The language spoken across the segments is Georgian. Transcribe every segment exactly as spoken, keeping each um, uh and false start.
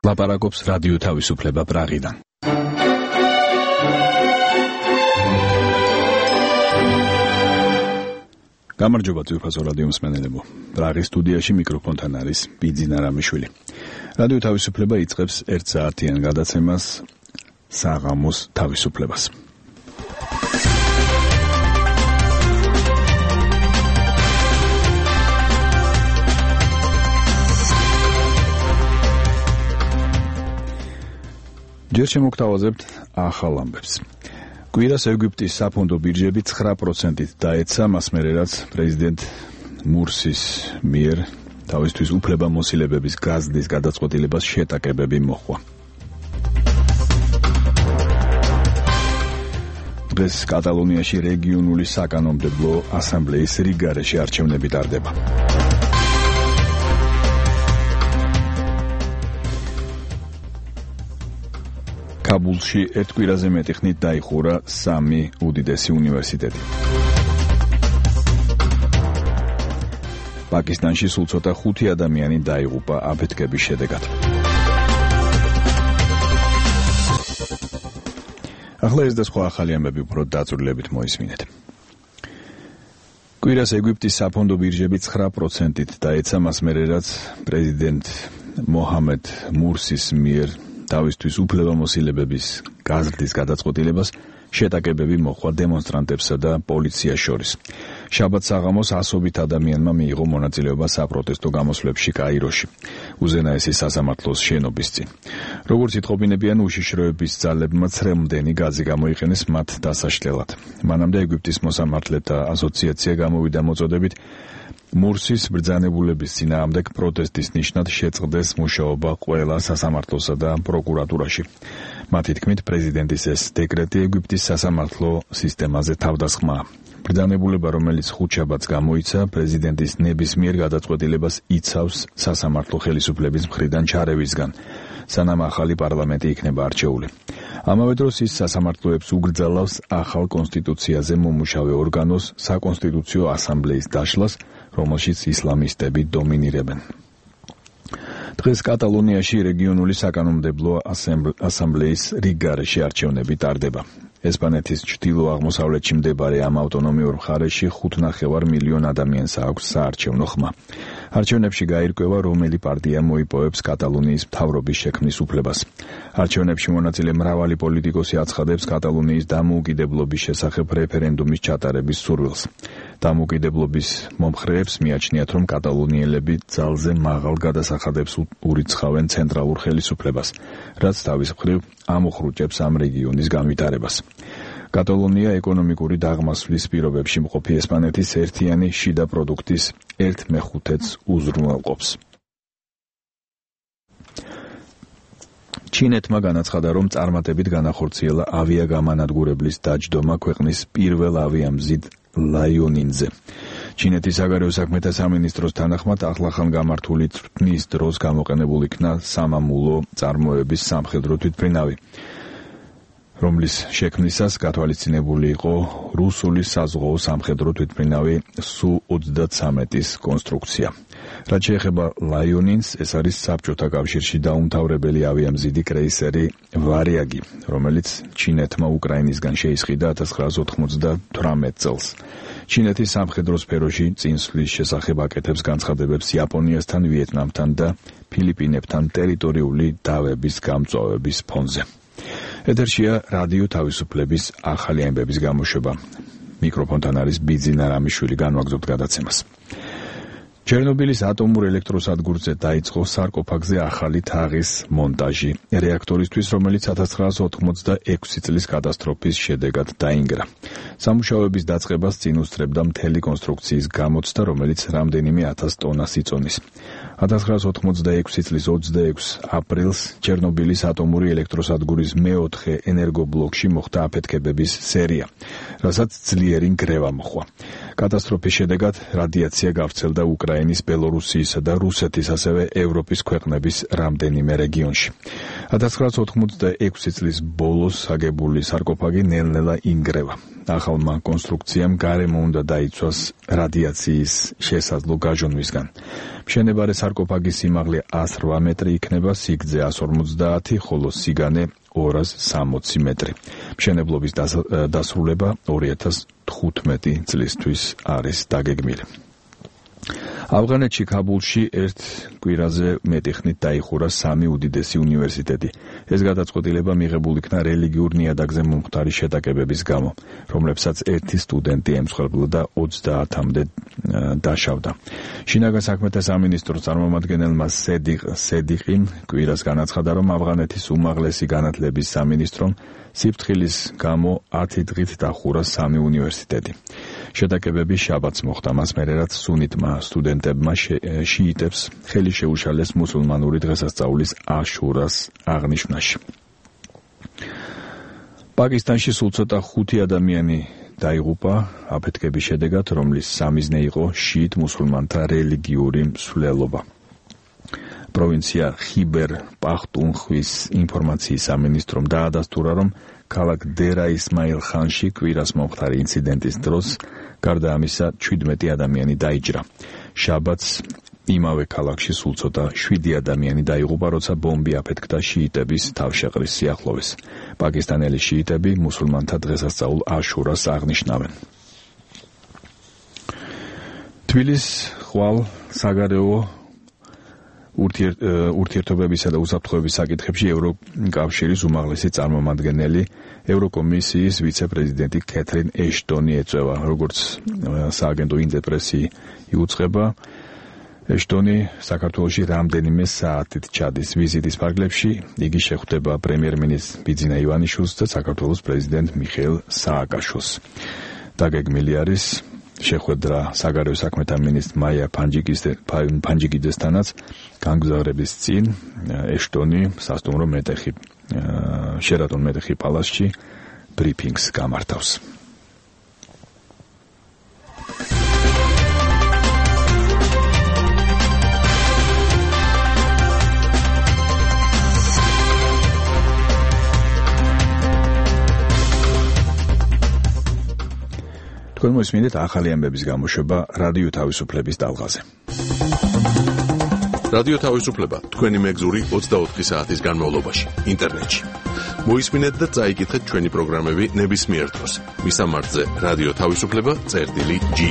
ლაპარაკობს რადიო თავისუფლება პრაღიდან. გამარჯობა ძვირფასო რადიო მსმენელებო. პრაღის სტუდიაში მიკროფონთან არის ბიძინა რამიშვილი. რადიო თავისუფლება იწყებს ერთ საათიან გადაცემას საღამოს თავისუფლებას. ჯერ შემოგთავაზებთ ახალ ამბებს. კვირას ეგვიპტის საფონდო ბირჟები ცხრა პროცენტით დაეცა, მას მერე რაც პრეზიდენტ მურსის მიერ თავისთვის უფლებამოსილებების გაზრდის გადაწყვეტილებას შეტაკებები მოჰყვა. დღეს კატალონიაში რეგიონული საკანონმდებლო ასამბლეის რიგგარეშე არჩევნები ტარდება. კაბულში ერთ კვირაზე მეტი ხნით დაიხურა სამი უდიდესი უნივერსიტეტი. პაკისტანში სულ ცოტა ხუთი ადამიანი დაიღუპა აფეთქების შედეგად. ახლა ეს და სხვა ახალი ამბები უფრო დაწვრილებით მოისმინეთ. კვირას ეგვიპტის საფონდო ბირჟები ცხრა პროცენტით დაეცა, მას მერე რაც პრეზიდენტ მოჰამედ მურსის მიერ თავისთვის უფლებამოსილებების გაზრდის გადაწყვეტილებას შეტაკებები მოჰყვა დემონსტრანტებსა და პოლიციას შორის. შაბათს საღამოს ასობით ადამიანმა მიიღო მონაწილეობა საპროტესტო გამოსვლებში კაიროში, უზენაესი სასამართლოს შენობის წინ. როგორც იტყობინებიან, უშიშროების ძალებმა ცრემლდენი გაზი გამოიყენეს მათ დასაშლელად. მანამდე ეგვიპტის მოსამართლეთა ასოციაცია გამოვიდა მოწოდებით მურსის ბრძანებულების წინააღმდეგ პროტესტის ნიშნად შეწყდეს მუშაობა ყველა სასამართლოსა და პროკურატურაში. მათი თქმით, პრეზიდენტის ეს დეკრეტი ეგვიპტის სასამართლო სისტემაზე თავდასხმაა. ბრძანებულება, რომელიც ხუთშაბათს გამოიცა, პრეზიდენტის ნებისმიერ გადაწყვეტილებას იცავს სასამართლო ხელისუფლების მხრიდან ჩარევისგან, სანამ ახალი პარლამენტი იქნება არჩეული. ამავე დროს ის სასამართლოებს უგრძალავს ახალ კონსტიტუციაზე მომუშავე ორგანოს საკონსტიტუციო ასამბლეის დაშლას, რომელშიც ისლამისტები დომინირებენ. დღეს კატალონიაში რეგიონული საკანონმდებლო ასამბლეის რიგგარეშე არჩევნები ტარდება. ესპანეთის ჩრდილო-აღმოსავლეთში მდებარე ამ ავტონომიურ მხარეში ხუთნახევარ მილიონ ადამიანს აქვს საარჩევნო ხმა. არჩევნებში გაირკვევა, რომელი პარტია მოიპოვებს კატალონიის მთავრობის შექმნის უფლებას. არჩევნებში მონაწილე მრავალი პოლიტიკოსი აცხადებს კატალონიის დამოუკიდებლობის შესახებ რეფერენდუმის ჩატარების სურვილს. დამოუკიდებლობის მომხრეებს მიაჩნიათ, რომ კატალონიელები ძალზე მაღალ გადასახადებს ურიცხავენ ცენტრალურ ხელისუფლებას, რაც თავის მხრივ ამოხრუჭებს ამ რეგიონის განვითარებას. კატალონია ეკონომიკური დაღმასვლის პირობებში მყოფი ესპანეთის ერთიანი შიდა პროდუქტის ერთ მეხუთედს უზრუნველყოფს. ჩინეთმა განაცხადა, რომ წარმატებით განახორციელა ავიაგამანადგურებლის დაჯდომა ქვეყნის პირველ ავიამზიდ ლაიონინზე. ჩინეთის საგარეო საქმეთა სამინისტროს თანახმად, ახლახან გამართული წვრთნის დროს გამოყენებულ იქნა სამამულო წარმოების სამხედრო თვითმფრინავი, რომლის შექმნისას გათვალისწინებული იყო რუსული საზღვაო სამხედრო თვითმფრინავი სუ ოცდათსამეტის კონსტრუქცია. რაც შეეხება ლაიონინს, ეს არის საბჭოთა კავშირში დაუმთავრებელი ავიამზიდი კრეისერი ვარიაგი, რომელიც ჩინეთმა უკრაინისგან შეისყიდა ათას ცხრაას ოთხმოცდათვრამეტ წელს. ჩინეთის სამხედრო სფეროში წინსვლის შესახებ აკეთებს განცხადებებს იაპონიასთან, ვიეტნამთან და ფილიპინებთან ტერიტორიული დავების გამწვავების ფონზე. ეთერშია რადიო თავისუფლების ახალი ამბების გამოშვება. მიკროფონთან არის ბიძინა რამიშვილი, განვაგრძობთ გადაცემას. ჩერნობილის ატომურ ელექტროსადგურზე დაიწყო სარკოფაგზე ახალი თაღის მონტაჟი რეაქტორისთვის, რომელიც ათას ცხრაას ოთხმოცდაექვსი წლის კატასტროფის შედეგად დაინგრა. სამუშაოების დაწყებას წინ უსწრებდა მთელი კონსტრუქციის გამოცდა, რომელიც რამდენიმე ათას ტონას იწონის. ათას ცხრაას ოთხმოცდაექვსი წლის ოცდაექვსი აპრილს ჩერნობილის ატომური ელექტროსადგურის მეოთხე ენერგობლოკში მოხდა აფეთქებების სერია, რასაც ძლიერი ნგრევა მოჰყვა. კატასტროფის შედეგად რადიაცია გავრცელდა უკრაინის, ბელორუსიისა და რუსეთის, ასევე ევროპის ქვეყნების რამდენიმე რეგიონში. ათას ცხრაასი ოთხმოცდაექვსი წლის ბოლოს აგებული სარკოფაგი ნელ-ნელა ინგრევა. ახალმა კონსტრუქციამ გარემო უნდა დაიცვას რადიაციის შესაძლო გაჟონვისგან. მშენებარე სარკოფაგის სიმაღლე ას რვა მეტრი იქნება, სიგრძე ას ორმოცდაათი, ხოლო სიგანე ორას სამოცი მეტრი. მშენებლობის დასრულება ორი ათას თხუთმეტი წლისთვის არის დაგეგმილი. ავღანეთში ქაბულში ერთ კვირაზე მეტი ხნით დაიხურა სამი უდიდესი უნივერსიტეტი. ეს გადაწყვეტილება მიღებული იქნა რელიგიურ ნიადაგზე მომხდარი შეტაკებების გამო, რომლებსაც ერთი სტუდენტი ემსხვერპლა და ოცდაათამდე დაშავდა. შინაგან საქმეთა სამინისტროს წარმომადგენელმა სედიყ სედიყიმ კვირას განაცხადა, რომ ავღანეთის უმაღლესი განათლების სამინისტრომ სიფრთხილის გამო ათი დღით დახურა სამი უნივერსიტეტი. შეტაკებები შაბათს მოხდა, მას მერე რაც სუნიტმა სტუდენტებმა შიიტებს ხელი შეუშალეს მუსულმანური დღესასწაულის აშურას აღნიშვნაში. პაკისტანში სულ ცოტა ხუთი ადამიანი დაიღუპა აფეთქების შედეგად, რომლის სამიზნე იყო შიიტ მუსულმანთა რელიგიური მსვლელობა. პროვინცია ხიბერ პახტუნხვის ინფორმაციის სამინისტრომ დაადასტურა, რომ ქალაქ დერა ისმაილ ხანში კვირას მომხდარი ინციდენტის დროს გარდა ამისა ჩვიდმეტი ადამიანი დაიჭრა. შაბათს იმავე ქალაქში სულ ცოტა შვიდი ადამიანი დაიღუპა, როცა ბომბი აფეთქდა შიიტების თავშეყრის სიახლოვეს. პაკისტანელი შიიტები მუსულმანთა დღესასწაულ აშურას აღნიშნავენ. თბილისის ხვალ საგარეო ურთიერთობებისა და უსაფრთხოების საკითხებში ევროკავშირის უმაღლესი წარმომადგენელი ევროკომისიის ვიცე-პრეზიდენტი კეთრინ ეშტონი ეწევა. როგორც სააგენტო ინტერპრესი იუწყება, ეშტონი საქართველოში რამდენიმე საათით ჩადის ვიზიტის ფარგლებში. იგი შეხვდება პრემიერ-მინისტრ ბიძინა ივანიშვილს და საქართველოს პრეზიდენტ მიხეილ სააკაშვილს. დაგეგმილი არის შეხვედრა საგარეო საქმეთა მინისტრ მაია ფანჯიკიძესთანაც. განგზავრების წინ ეშტონი სასტუმრო მეტეხი შერატონ მეტეხი პალასში ბრიფინგს გამართავს. თქვენ მოსმინეთ ახალი ამბების გამოშვება რადიო თავისუფლების ტალღაზე. რადიო თავისუფლება თქვენი მეგზური ოცდაოთხი საათის განმავლობაში ინტერნეტში. მოისმინეთ და წაიკითხეთ ჩვენი პროგრამები ნებისმიერ დროს. მისამართზე რადიო თავისუფლება წერტილი ჯი.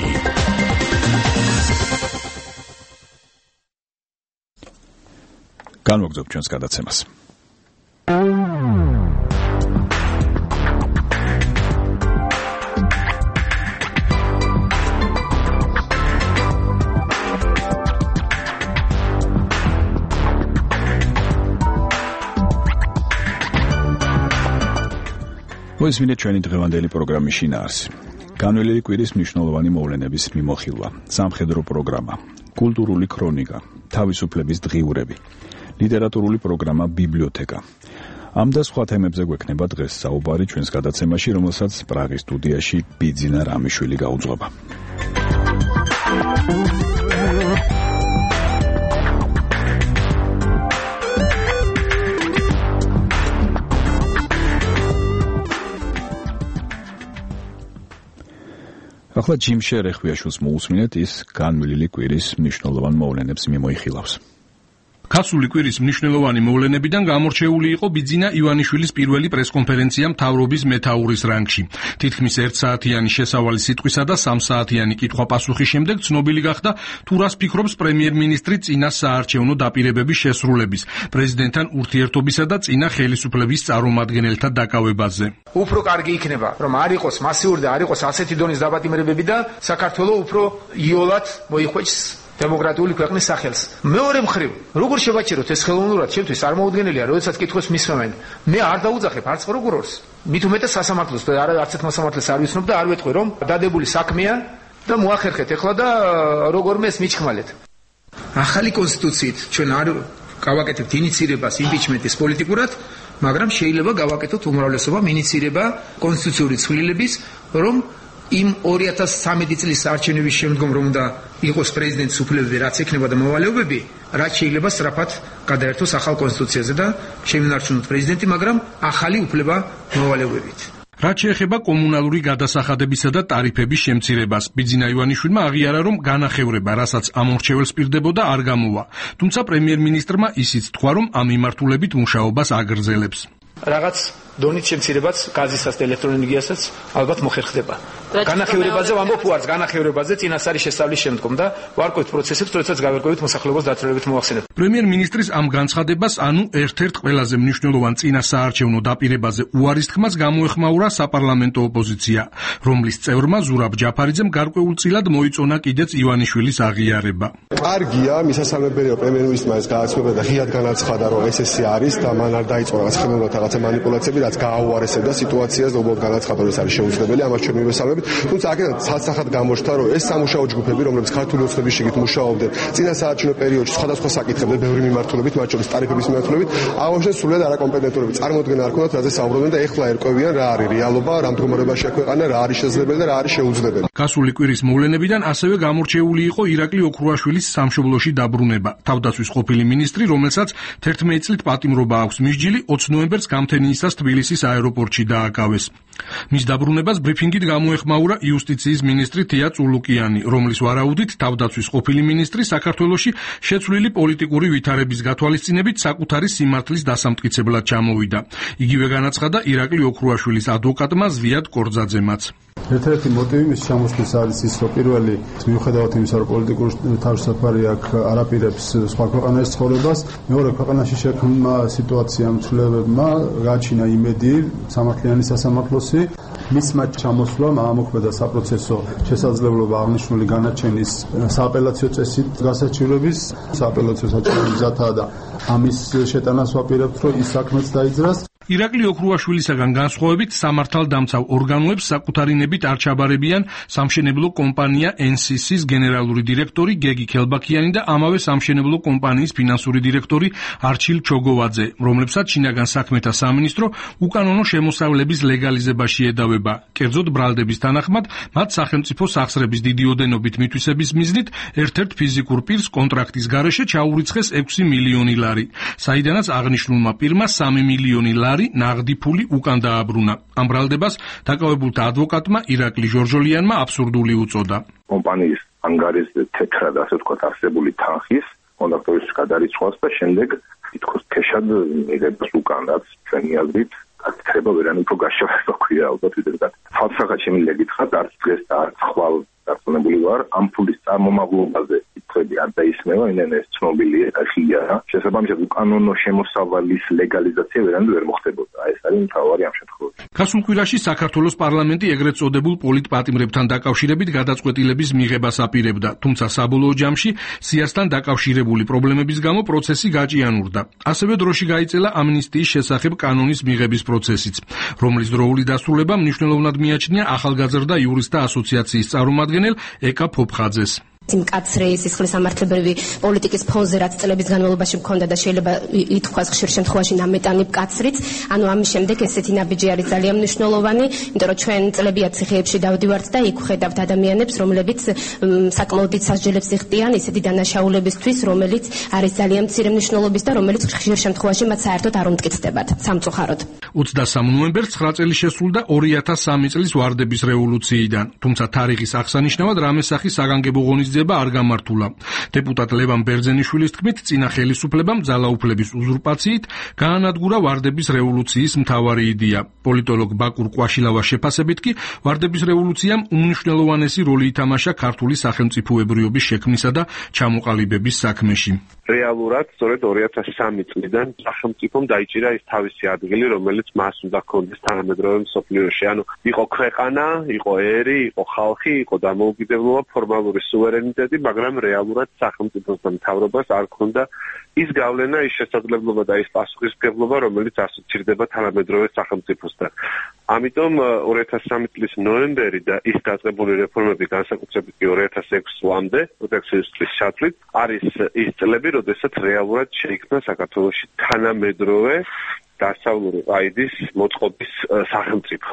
განვაგრძობ ჩვენს გადაცემას. მოისმინეთ ჩვენი დღევანდელი პროგრამის შინაარსი. განვლილი კვირის მნიშვნელოვანი მოვლენების მიმოხილვა, სამხედრო პროგრამა, კულტურული ქრონიკა, თავისუფლების დღიურები, ლიტერატურული პროგრამა ბიბლიოთეკა. ამ და სხვა თემებზე გვექნება დღეს საუბარი ჩვენს გადაცემაში, რომელსაც პრაღის სტუდიაში ბიძინა რამიშვილი გაუძღვება. ახლა ჯიმშე რეხვიაშვილს მოусმინეთ, ის განვლილი კვირის მნიშვნელოვან მოვლენებს მიმოიხილავს. ქასული კვირის მნიშვნელოვანი მოვლენებიდან გამორჩეული იყო ბიძინა ივანიშვილის პირველი პრესკონფერენცია მთავრობის მეთაურის რანგში. თითქმის ერთსაათიანი შესავალი სიტყვისა და სამსაათიანი კითხვა-პასუხის შემდეგ ცნობილი გახდა თუ რას ფიქრობს პრემიერ-მინისტრი წინა საარჩევნო დაპირებების შესრულების, პრეზიდენტთან ურთიერთობისა და წინა ხელისუფლების წარმომადგენელთა დაკავებაზე. უფრო კარგი იქნება, რომ არ იყოს მასიური და არ იყოს ასეთი დონის დაპატიმრებები და საქართველოს უფრო იოლად მოიხვეჭს დემოკრატიული ქვეყნის სახელს. მეორე მხრივ, როგორ შევაჩეროთ ეს ხელოვნურად, ჩემთვის არ მოუდგენელია, როდესაც კითხვას მისმევენ. მე არ დაუძახებ არც პროკურორს, მით უმეტეს სასამართლოს და არც ერთ მოსამართლეს არ ვიცნობ და არ ვეთქვი, რომ დადებული საქმეა და მოახერხეთ ეხლა და როგორმე ეს მიჩხმალეთ. ახალი კონსტიტუციით ჩვენ არ გავაკეთებთ ინიცირებას იმპიჩმენტის პოლიტიკურად, მაგრამ შეიძლება გავაკეთოთ უმრავლესობამ ინიცირება კონსტიტუციური ცვლილების, რომ იმ ორი ათას ცხრამეტი წლის არჩევნების შემდგომ რომ უნდა იყოს პრეზიდენტის უფლებები, რაც ექნება და მოვალეობები, რაც შეიძლება სწრაფად გადაერთოს ახალ კონსტიტუციაზე და შემინარჩუნოთ პრეზიდენტი, მაგრამ ახალი უფლება მოვალეობებით. რაც შეეხება კომუნალური გადასახადებისა და ტარიფების შემცირებას, ბიძინა ივანიშვილმა აღიარა, რომ განახევრება, რასაც ამორჩეველს პირდებოდა, არ გამოვა. თუმცა პრემიერ-მინისტრმა ისიც თქვა, რომ ამ მიმართულებით მუშაობას აგრძელებს. რაღაც დონით შემცირებაც გაზისაც და ელექტროენერგიასაც ალბათ მოხერხდება. განახევრებაზე ვამბობ უარს, განახევრებაზე წინასწარი შესწავლის შემდგომ და ვარკვევთ პროცესებს, როდესაც გავერკვევით მოსახლეობას დათრევებით მოახსენებ. პრემიერ-მინისტრის ამ განცხადებას, ანუ ერთ-ერთ ყველაზე მნიშვნელოვან წინასაარჩევნო დაპირებაზე უარის თქმას გამოეხმაურა საპარლამენტო ოპოზიცია, რომლის წევრმა ზურაბ ჯაფარიძემ გარკვეულწილად მოიწონა კიდეც ივანიშვილის აღიარება. კარგია, მისასალმებელია პრემიერ-მინისტრმა ეს გააცნობა და ღიად განაცხადა, რომ ეს ესე არის და მან არ დაიწყო რაღაც ხელოვნურად რაღაცა манипуляციები, რაც გააუარესებდა სიტუაციას და უბრალოდ განაცხადა, რომ ეს არის შეუძლებელი, ამას ჩვენ მივესალმებით. თუმცა აქედან ცალსახად გამოჩნდა, რომ ეს სამუშაო ჯგუფები, რომლებიც ქართული ოცნების შიგნით მუშაობდნენ წინასაარჩევნო პერიოდში სხვადასხვა საკითხებზე, ბევრი მიმართულებით, მათ შორის ტარიფების მიმართულებით, აღნიშნეს სრულად არაკომპეტენტურები, წარმოუდგენა არ ქონდათ, რაზე საუბრობდნენ და ეხლა ერკვევიან რა არის რეალობა, რა მდგომარეობაშია ქვეყანა, რა არის შესაძლებელი და რა არის შეუძლებელი. გასული კვირის მოვლენებიდან ასევე გამორჩეული იყო ირაკლი ოქრუაშვილის სამშობლოში დაბრუნება. თავდაცვის ყოფილი მინისტრი, რომელსაც თერთმეტი წლით პატიმრობა აქვს მისჯილი, ოცი ნოემბერს გამთენიისას თბილისის აეროპორტში დააკავეს. მის დაბრუნებას ბრიფინგით გამოეხმაურა იუსტიციის მინისტრი თია წულუკიანი, რომლის ვარაუდით თავდაცვის ყოფილი მინისტრი საქართველოში შეცვლილი პოლიტიკური ვითარების გათვალისწინებით საკუთარი სიმართლის დასამტკიცებლად ჩამოვიდა. იგივე განაცხადა ირაკლი ოქრუაშვილის ადვოკატმა ზვიად კორძაძემაც. ერთ-ერთი მოტივი მის ჩამოსვლის არის ის, რომ პირველი მიუხედავად იმისა, რომ პოლიტიკური თავისუფლება აქ არაპირებს სხვა ქვეყანაში ცხოვრებას, მეორე ქვეყანაში შექმნა სიტუაცია მცვლებებმა გააჩინა იმედი სამართლიანი სასამართლოსი, მისმა ჩამოსვლამ ამოქმედა საპროცესო შესაძლებლობა აღნიშნული განაჩენის სააპელაციო წესით გასაჩივრების, სააპელაციო საჩივრების მზადაა და ამის შეტანას ვაპირებთ, რომ ის საქმეც დაიძრას. ირაკლი ოქრუაშვილისაგან განსხვავებით სამართალდამცავ ორგანოებს საკუთარი ნებით არ ჩაბარებიან სამშენებლო კომპანია ენ სი სის გენერალური დირექტორი გეგი ქელბაქიანი და ამავე სამშენებლო კომპანიის ფინანსური დირექტორი არჩილ ჩოგოვაძე, რომლებსაც შინაგან საქმეთა სამინისტრო უკანონო შემოსავლების ლეგალიზებაში ედავება. კერძოდ ბრალდების თანახმად, მათ სახელმწიფო სახსრების დიდი ოდენობით მითვისების მიზნით ერთ-ერთ ფიზიკურ პირს კონტრაქტის გარეშე ჩაურიცხეს ექვსი მილიონი ლარი, საიდანაც აღნიშნულმა პირმა სამი მილიონი ლარი ნაღდი ფული უკან დააბრუნა. ამ ბრალდებას დაკავებულთა ადვოკატმა ირაკლი ჟორჟოლიანმა აბსურდული უწოდა. კომპანიის ანგარის თეთრად ასე ვთქვათ არსებული თანხის კონდაქტორის გადარიცხვას და შემდეგ თითქოს ქეშად მიღებას უკან, რაც ჩვენი აზრით გაქრება ვერან უფრო გაშავება ქვია ალბათ ვიდრე. თავსახად შემიძლია გითხრათ, არც დღეს და არც ხვალ დარწმუნებული ვარ, ამ ფულის წარმომავლობაზე კითხვები არ დაისმევა, იმენ ეს ცნობილია და ხიარა. შესაბამისად უკანონო შემოსავალის ლეგალიზაცია ვერანაირად ვერ მოხდებოდა. ეს არის მთავარი ამ შემთხვევაში. გასულ კვირაში საქართველოს პარლამენტი ეგრეთ წოდებულ პოლიტპატიმრებთან დაკავშირებით გადაწყვეტილების მიღებას აპირებდა, თუმცა საბოლოო ჯამში სიასთან დაკავშირებული პრობლემების გამო პროცესი გაჭიანურდა. ასევე დროში გაიწელა ამნისტიის შესახებ კანონის მიღების პროცესიც, რომლის დროული დასრულება მნიშვნელოვნად მიაჩნია ახალგაზრდა იურისტთა ასოციაციის წარმომადგენელ ეკა ფოფხაძეს. მკაცრი სისხლის სამართლებრივი პოლიტიკის ფონზე რაც წლების განმავლობაში მქონდა და შეიძლება ითქვას ხშირ შემთხვევაში ნამეტანი მკაცრიც, ანუ ამის შემდეგ ესეთი ნაბიჯი არის ძალიან მნიშვნელოვანი, იმიტომ რომ ჩვენ წლებია ციხეებში დავდივართ და იქ ვხედავთ ადამიანებს, რომლებიც საკმაოდ დიდ სასჯელებს იღწიან ისეთი დანაშაულებისთვის, რომელიც არის ძალიან მცირე მნიშვნელობის და რომელიც ხშირ შემთხვევაში მათ საერთოდ არ უმტკიცდებათ სამწუხაროდ. ოცდასამი ნოემბერს ცხრა წელი შესრულდა ორი ათას სამი წლის ვარდების რევოლუციიდან, თუმცა თარიღის აღსანიშნავად რამესახის საგანგებო ღონისძიება არ გამართულა. დეპუტატ ლევან ბერძენიშვილის თქმით, წინა ხელისუფლებამ ძალაუფლების უზურპაციით გაანადგურა ვარდების რევოლუციის მთავარი იდეა. პოლიტოლოგ ბაკურ ყვაშილავას შეფასებით კი ვარდების რევოლუციამ უმნიშვნელოვანესი როლი ითამაშა ქართული სახელმწიფოებრიობის შექმნისა და ჩამოყალიბების საქმეში. რეალურად სწორედ ორი ათას სამი წლიდან სახელმწიფომ დაიჭირა ის თავისი ადგილი, რომელიც მას უნდა ჰქონდეს თანამედროვე მსოფლიოში. ანუ იყო ქვეყანა, იყო ერი, იყო ხალხი, იყო დამოუკიდებლობა, ფორმალური სუვერენიტეტი, მაგრამ რეალურად სახელმწიფოს და მთავრობას არ ჰქონდა ის გავლენა, ის შესაძლებლობა და ის პასუხისმგებლობა, რომელიც ასოცირდება თანამედროვე სახელმწიფოსთან. ამიტომ ორი ათას სამი წლის ნოემბერი და ის დაწყებული რეფორმები, განსაკუთრებით ორი ათას ექვსი წლამდე, პროტექციის წლის ჩათვლით, არის ის წლები, როდესაც რეალურად შეიქმნა საქართველოში თანამედროვე დასავლური ყაიდის მოწყობის სახელმწიფო.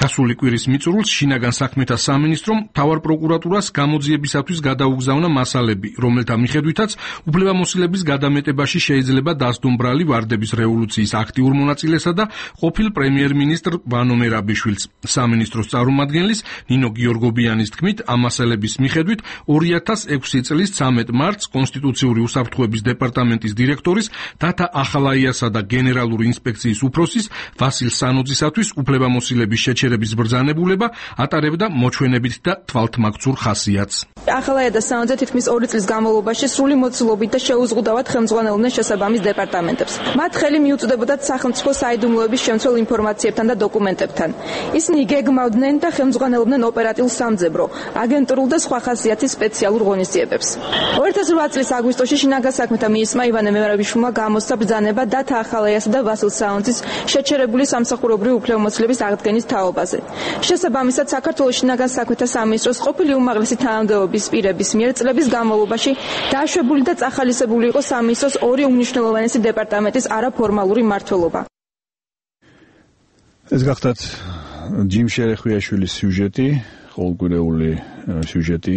გასული კვირის მიწურულს შინაგან საქმეთა სამინისტრომ მთავარ პროკურატურას გამოძიებისათვის გადაუგზავნა მასალები, რომელთა მიხედვითაც უფლებამოსილების გადამეტებაში შეიძლება დასდომ ბრალი ვარდების რევოლუციის აქტიურ მონაწილესა და ყოფილ პრემიერ-მინისტრ ვანო მერაბიშვილს. სამინისტროს წარმომადგენლის ნინო გიორგობიანის თქმით, ამ მასალების მიხედვით ორი ათას ექვსი წლის ცამეტ მარტს კონსტიტუციური უსაფრთხოების დეპარტამენტის დირექტორის დათა ახალაიასა და გენერალური ინსპექციის უფროსის ვასილ სანოძისათვის უფლებამოსილების შეჩერების ბრძანებულება ატარებდა მოჩვენებით და თვალთმაქცურ ხასიათს. ახალაია და სანოძე თითქმის ორი წლის განმავლობაში სრული მოცულობით და შეუზღუდავად ხელმძღვანელობდნენ შესაბამის დეპარტამენტებს. მათ ხელი მიუწვდებოდათ სახელმწიფო საიდუმლოების შემცველ ინფორმაციებთან და დოკუმენტებთან. ისინი გეგმავდნენ და ხელმძღვანელობდნენ ოპერატიულ სამძებრო, აგენტურულ და სხვა ხასიათის სპეციალურ ღონისძიებებს. ორი ათას ოთხ წლის აგვისტოში შინაგან საქმეთა მინისტრმა ივანე მერაბიშვილმა გამოსცა ბრძანება დათა ახალაიასა და ვასილ სანოძის შეჩერებული სამსახურებრივი უფლებამოსილების აღდგენის თაობაზე. შესაბამისად, საქართველოს შინაგან საქმეთა სამინისტროს ყოფილი უმაღლესი თანამდებობის პირების მიერ წლების განმავლობაში დაშვებული და წახალისებული იყო სამინისტროს ორი უმნიშვნელოვანესი დეპარტამენტის არაფორმალური მმართველობა. ეს გახდათ ჯიმ შერეხვიაშვილის სიუჟეტი, ყოველკვირეული სიუჟეტი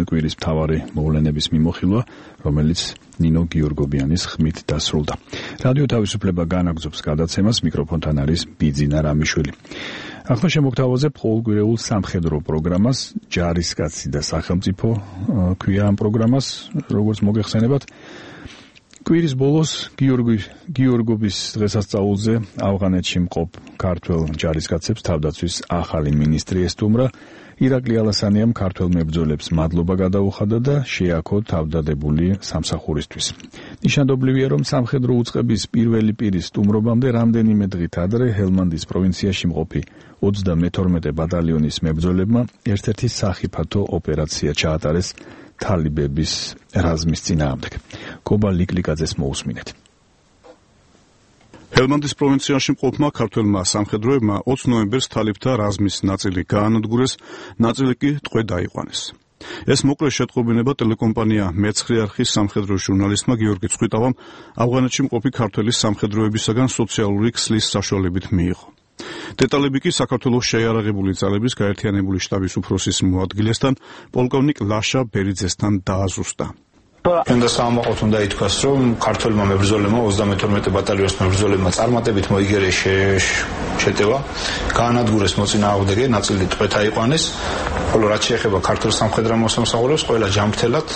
კვირის მთავარი მოვლენების მიმოხილვა, რომელიც ნინო გიორგობიანის ხმით დასრულდა. რადიო თავისუფლება განაგრძობს გადაცემას, მიკროფონთან არის ბიძინა რამიშვილი. ახლა შემოგთავაზებ ყოველკვირეულ სამხედრო პროგრამას, ჯარისკაცი და სახელმწიფო ქვია ამ პროგრამას, როგორც მოგეხსენებათ. კვირის ბოლოს გიორგი გიორგობის დღესასწაულზე ავღანეთში მყოფ ქართველ ჯარისკაცებს თავდაცვის ახალი მინისტრი ესტუმრა. ირაკლი ალასანიამ ქართველ მებრძოლებს მადლობა გადაუხადა და შეაქო თავდადებული სამსახურისთვის. ნიშანდობლივია, რომ სამხედრო უწყების პირველი პირის სტუმრობამდე რამდენიმე დღით ადრე ჰელმანდის პროვინციაში მყოფი ოცდამეთორმეტე ბატალიონის მებრძოლებმა ერთ-ერთი სახიფათო ოპერაცია ჩაატარეს თალიბების რაზმის წინააღმდეგ. კობა ლიკლიკაძეს მოусმინეთ. ჰელმანდის პროვინციაში მყოფმა ქართველმა სამხედროებმა ოცი ნოემბერს თალიბთა რაზმის ნაწილი გაანადგურეს, ნაწილი კი ტყვე დაიყვანეს. ეს მოკლე შეტყობინება ტელეკომპანია მეცხრე არხის სამხედრო ჟურნალისტმა გიორგი წხვიტავამ ავღანეთში მყოფი ქართველის სამხედროებისაგან სოციალური ქსლის საშუალებით მიიღო. დეტალები კი საქართველოს შეიარაღებული ძალების გაერთიანებული შტაბის უფროსის მოადგილესთან, პოლკოვნიკ ლაშა ბერიძესთან დააზუსტა. Când საამაყოთ უნდა ითქვას, რომ ქართველმა მებრძოლებმა ოცდამეთორმეტე ბატალიონის მებრძოლებმა წარმატებით მოიგერეს შეტევა, გაანადგურეს მოწინააღმდეგე, ნაწილი ტყვედ აიყვანეს, ხოლო რაც შეეხება ქართულ სამხედრო მოსამსახურეებს, ყველა ჯანმრთელად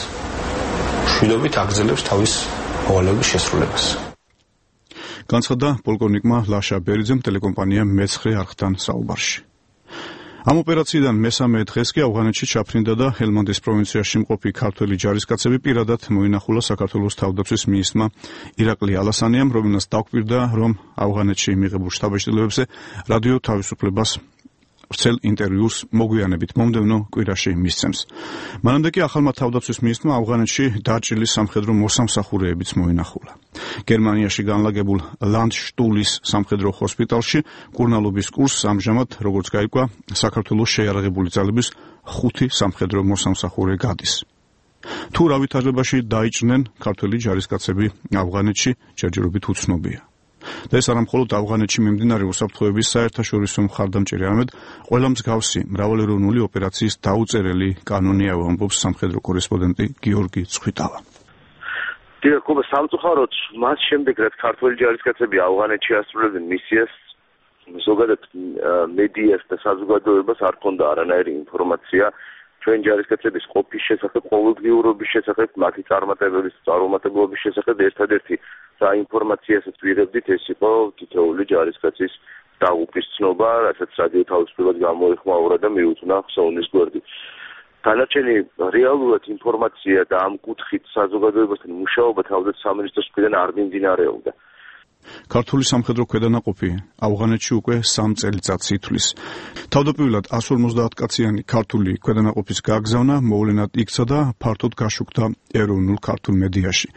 მშვიდობით აგრძელებს თავის მოვალეობის შესრულებას. განცხადა პოლკოვნიკმა ლაშა ბერიძემ ტელეკომპანია მეცხრე არხთან საუბარში. ამ ოპერაციიდან მესამე დღეს კი ავღანეთში ჩაფრინდა და ჰელმანდის პროვინციაში მყოფი ქართველი ჯარისკაცები პირადად მოინახულა საქართველოს თავდაცვის მინისტრმა ირაკლი ალასანიამ, რომელმაც დაგვირდა, რომ ავღანეთში მიღებულ შთაბეჭდილებებზე რადიო თავისუფლებას ვრცელ ინტერვიუს მოგვიანებით მომდევნო კვირაში მისცემს. მანამდე კი ახალმა თავდაცვის მინისტრმა ავღანეთში დაჭრილი სამხედრო მოსამსახურეებიც მოინახულა. გერმანიაში განლაგებულ ლანდშტულის სამხედრო ჰოსპიტალში კურნალობის კურსს ამჟამად, როგორც გაირკვა, საქართველოს შეიარაღებული ძალების ხუთი სამხედრო მოსამსახურე გადის. თუ რა ვითარებაში დაიჭრნენ ქართველი ჯარისკაცები ავღანეთში, ჯერჯერობით უცნობია. და ეს არა მხოლოდ ავღანეთში მიმდინარე უსაფრთხოების საერთაშორისო მხარდამჭერი, არამედ ყველა მსგავსი მრავალეროვნული ოპერაციის დაუწერელი კანონია, ამბობს სამხედრო კორესპონდენტი გიორგი წხვიტავა. დიახ, სამწუხაროდ მას შემდეგ, რაც ქართველი ჯარისკაცები ავღანეთში ასრულებდნენ მისიას, ზოგადად მედიას და საზოგადოებას არ ჰქონდა არანაირი ინფორმაცია ჩვენ ჯარისკაცების ყოფის შესახებ, ყოველდღიურობის შესახებ, მათი წარმატებების წარუმატებლობის შესახებ. ერთადერთი საინფორმაციასაც ვიღებდით, ეს იყო თითოეული ჯარისკაცის დაღუპვის ცნობა, რასაც რადიო თავისუფლებას გამოეხმაურა და მიუძღვნა ხსოვნის გვერდი. დანარჩენი რეალურად ინფორმაცია და ამ კუთხით საზოგადოებასთან მუშაობა თავდაცვის სამინისტროს მხრიდან არ მიმდინარეობდა. ქართული სამხედრო ქვედანაყოფი ავღანეთში უკვე სამ წელიწადს ითვლის. თავდაპირველად εκατს ორმოცდაათ კაციანი ქართული ქვედანაყოფის გაგზავნა მოვლენად იქცა და ფართოდ გაშუქდა ეროვნულ ქართულ მედიაში.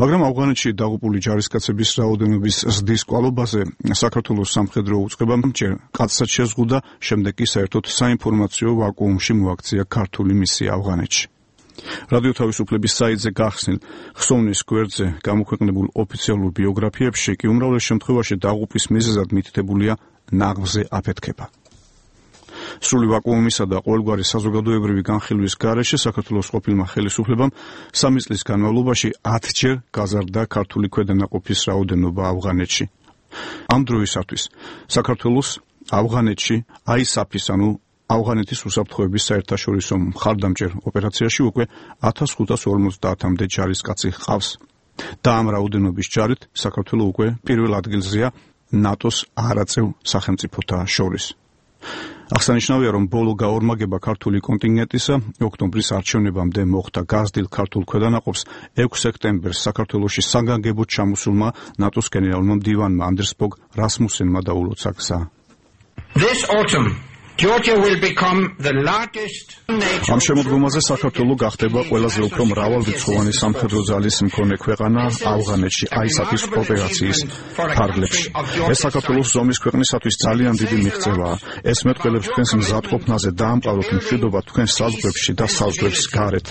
მაგრამ ავღანეთში დაღუპული ჯარისკაცების რაოდენობის ზრდის კვალობაზე საქართველოს სამხედრო უწყებამ ჯერ კაცსაც შეზღუდა, შემდეგ კი საერთოდ საინფორმაციო ვაკუუმში მოაქცია ქართული მისია ავღანეთში. რადიო თავისუფლების საიტზე გახსნილ ხსოვნის გვერდზე გამოქვეყნებულ ოფიციალურ ბიოგრაფიებში კი უმრავლეს შემთხვევაში დაღუპვის მიზეზად მითითებულია ნაღმზე აფეთქება. სრული ვაკუუმისა და ყოველგვარი საზოგადოებრივი განხილვის გარეშე საქართველოს ყოფილმა ხელისუფლებამ სამი წლის განმავლობაში ათჯერ გაზარდა ქართული ქვედანაყოფის რაოდენობა ავღანეთში. ამ დროისათვის საქართველოს ავღანეთში აისაფის ანუ ავღანეთის უსაფრთხოების საერთაშორისო მხარდამჭერ ოპერაციაში უკვე ათას ხუთას ორმოცდაათამდე ჯარისკაცი ჰყავს და ამ რაოდენობის ჯარით საქართველო უკვე პირველ ადგილზეა ნატოს არაწევ სახელმწიფოთა შორის. აღსანიშნავია, რომ ბოლო გაორმაგება ქართული კონტინგენტისა ოქტომბრის არჩევნებამდე მოხდა გაზრდილ ქართულ ქვედანაყოფს ექვსი სექტემბერს საქართველოში საგანგებოდ ჩამოსულმა ნატოს გენერალურმა მდივანმა ანდერს ბოგ რასმუსენმა დაულოცა გზა. This autumn Georgia will become the largest ამ შემოდგომაზე საქართველო გახდება ყველაზე უფრო მრავალრიცხოვანი სამხედრო ძალის მქონე ქვეყანა ავღანეთში აისაფის ოპერაციის ფარგლებში. ეს საქართველოს ზომის ქვეყნისათვის ძალიან დიდი მიღწევაა. ეს მეტყველებს თქვენს მზადყოფნაზე დაამყაროთ მშვიდობა თქვენს საზღვრებში და საზღვრებს გარეთ.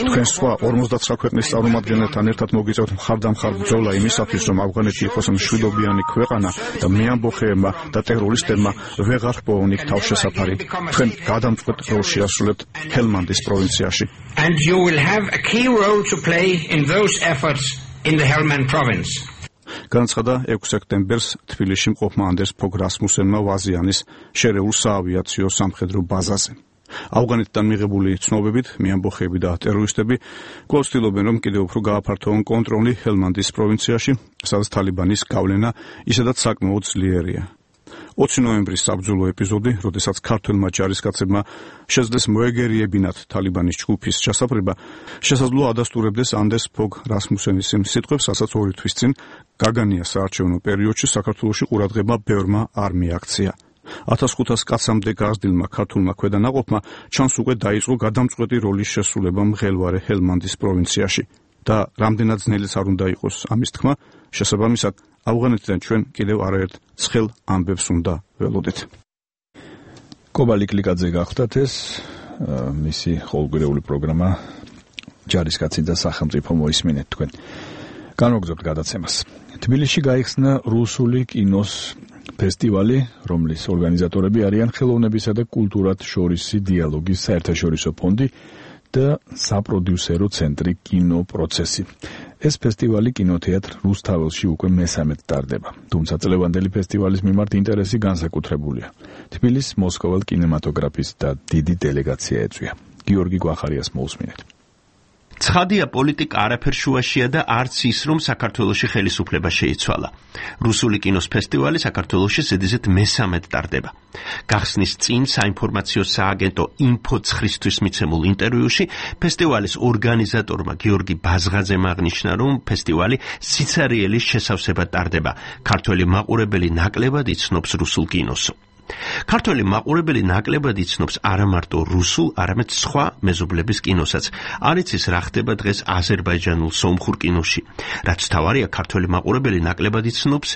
თქვენ სხვა ორმოცდათვრამეტ ქვეყნის წარმომადგენელთან ერთად მოგიწევთ მხარდამხარ ბრძოლა იმისათვის, რომ ავღანეთი იყოს მშვიდობიანი ქვეყანა და მეამბოხეებმა და ტერორისტებმა ვეღარ ჰპოვონ იქ თავშესაფარი. თქვენ გადამწყვეტ როლს შეასრულებთ ჰელმანდის პროვინციაში. And you will have a key role to play in those efforts in the Helmand province. განაცხადა ექვსი სექტემბერს თბილისში მყოფმა ანდერს ბოგ რასმუსენმა ვაზიანის შერეულ საავიაციო სამხედრო ბაზაზე. ავღანეთიდან მიღებული ცნობებით მეამბოხეები და ტერორისტები კვლავ ცდილობენ, რომ კიდევ უფრო გააფართოვონ კონტროლი ჰელმანდის პროვინციაში, სადაც თალიბანის გავლენა ისედაც საკმაოდ ძლიერია. ოცი ნოემბრის საბრძოლო ეპიზოდი, როდესაც ქართველმა ჯარისკაცებმა შეძლეს მოეგერიებინათ თალიბანის ჯგუფის ჩასაფრება, შესაძლოა ადასტურებდეს ანდერს ბოგ რასმუსენის იმ სიტყვებს, რასაც ორი თვის წინ გაგანია საარჩევნო პერიოდში საქართველოში ყურადღება ბევრმა არ მიაქცია. ათას ხუთას კაცამდე გაზრდილმა ქართულმა ქვედანაყოფმა ჩანს უკვე დაიწყო გადამწყვეტი როლის შესრულება მღელვარე ჰელმანდის პროვინციაში და რამდენად ძნელიც არ უნდა იყოს ამის თქმა, შესაბამისად ავღანეთიდან ჩვენ კიდევ არაერთ ცხელ ამბებს უნდა ველოდეთ. კობალი კლიკაძე გახდათ ეს მისი ყოველკვირეული პროგრამა ჯარისკაცი და სახელმწიფო მოისმინეთ თქვენ. განვაგრძობთ გადაცემას. თბილისში გაიხსნა რუსული კინოს ფესტივალი, რომლის ორგანიზატორები არიან ხელოვნებისა და კულტურათ შორისი დიალოგის საერთაშორისო ფონდი და საპროდიუსერო ცენტრი კინოპროცესი. ეს ფესტივალი კინოთეატრ რუსთაველში უკვე მესამედ ტარდება. თუმცა წლევანდელი ფესტივალის მიმართ ინტერესი განსაკუთრებულია. თბილისის მოსკოვალ კინემატოგრაფის და დიდი დელეგაცია ეწვია. გიორგი გვახარიას მოусმინეთ. ცხადია, პოლიტიკა არაფერ შუაშია და არც ის, რომ საქართველოში ხელისუფლება შეიცვალა. რუსული კინოს ფესტივალი საქართველოში ზედიზედ მესამედ ტარდება. გახსნის წინ საინფორმაციო სააგენტო ინფოცხრისთვის მიცემულ ინტერვიუში ფესტივალის ორგანიზატორმა გიორგი ბაზღაძემ აღნიშნა, რომ ფესტივალი სიცარიელის შესავსებად ტარდება. ქართველი მაყურებელი ნაკლებად იცნობს რუსულ კინოს. ქართველი მაყურებელი ნაკლებად იცნობს არა მარტო რუსულ, არამედ სხვა მეზობლების კინოსაც. არ იცის რა ხდება დღეს აზერბაიჯანულ სომხურ კინოში. რაც თავარია, ქართველი მაყურებელი ნაკლებად იცნობს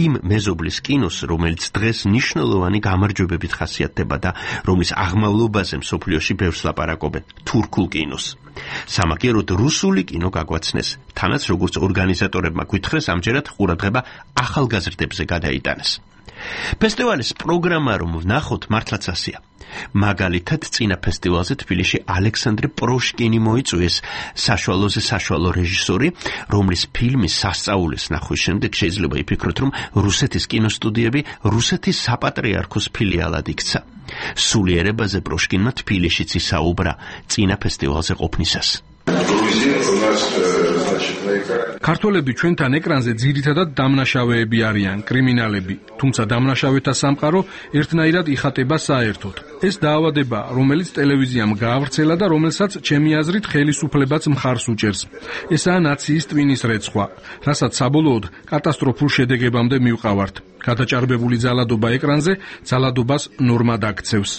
იმ მეზობლის კინოს, რომელიც დღეს მნიშვნელოვანი გამარჯვებებით ხასიათდება და რომლის აღმავლობაზე მსოფლიოში ბევრს ლაპარაკობენ, თურქულ კინოს. სამაგიეროდ რუსული კინო გაგვაცნეს. თანაც როგორც ორგანიზატორებმა გვითხრეს, ამჯერად ყურადღება ახალგაზრდებზე გადაიტანეს. ფესტივალის პროგრამა რომ ვნახოთ, მართლაც ასეა. მაგალითად, წინა ფესტივალზე თბილისში ალექსანდრე პროშკინი მოიწვიეს, საშუალოზე საშუალო რეჟისორი, რომლის ფილმის სასწაულის ნახვის შემდეგ შეიძლება იფიქროთ, რომ რუსეთის კინოსტუდიები რუსეთის საპატრიარქოს ფილიალად იქცა. სულიერებაზე პროშკინმა თბილისშიც ისაუბრა წინა ფესტივალზე ყოფნისას. ქართველები ჩვენთან ეკრანზე ძირითადად დამნაშავეები არიან, კრიმინალები, თუმცა დამნაშავეთა სამყარო ერთნაირად იხატება საერთოდ. ეს დაავადება, რომელიც ტელევიზიამ გაავრცელა და რომელსაც ჩემი აზრით ხელისუფლებაც მხარს უჭერს. ესაა ნაციის ტვინის რეცხვა, რასაც საბოლოოდ კატასტროფულ შედეგებამდე მივყავართ. გადაჭარბებული ძალადობა ეკრანზე ძალადობას ნორმად აქცევს.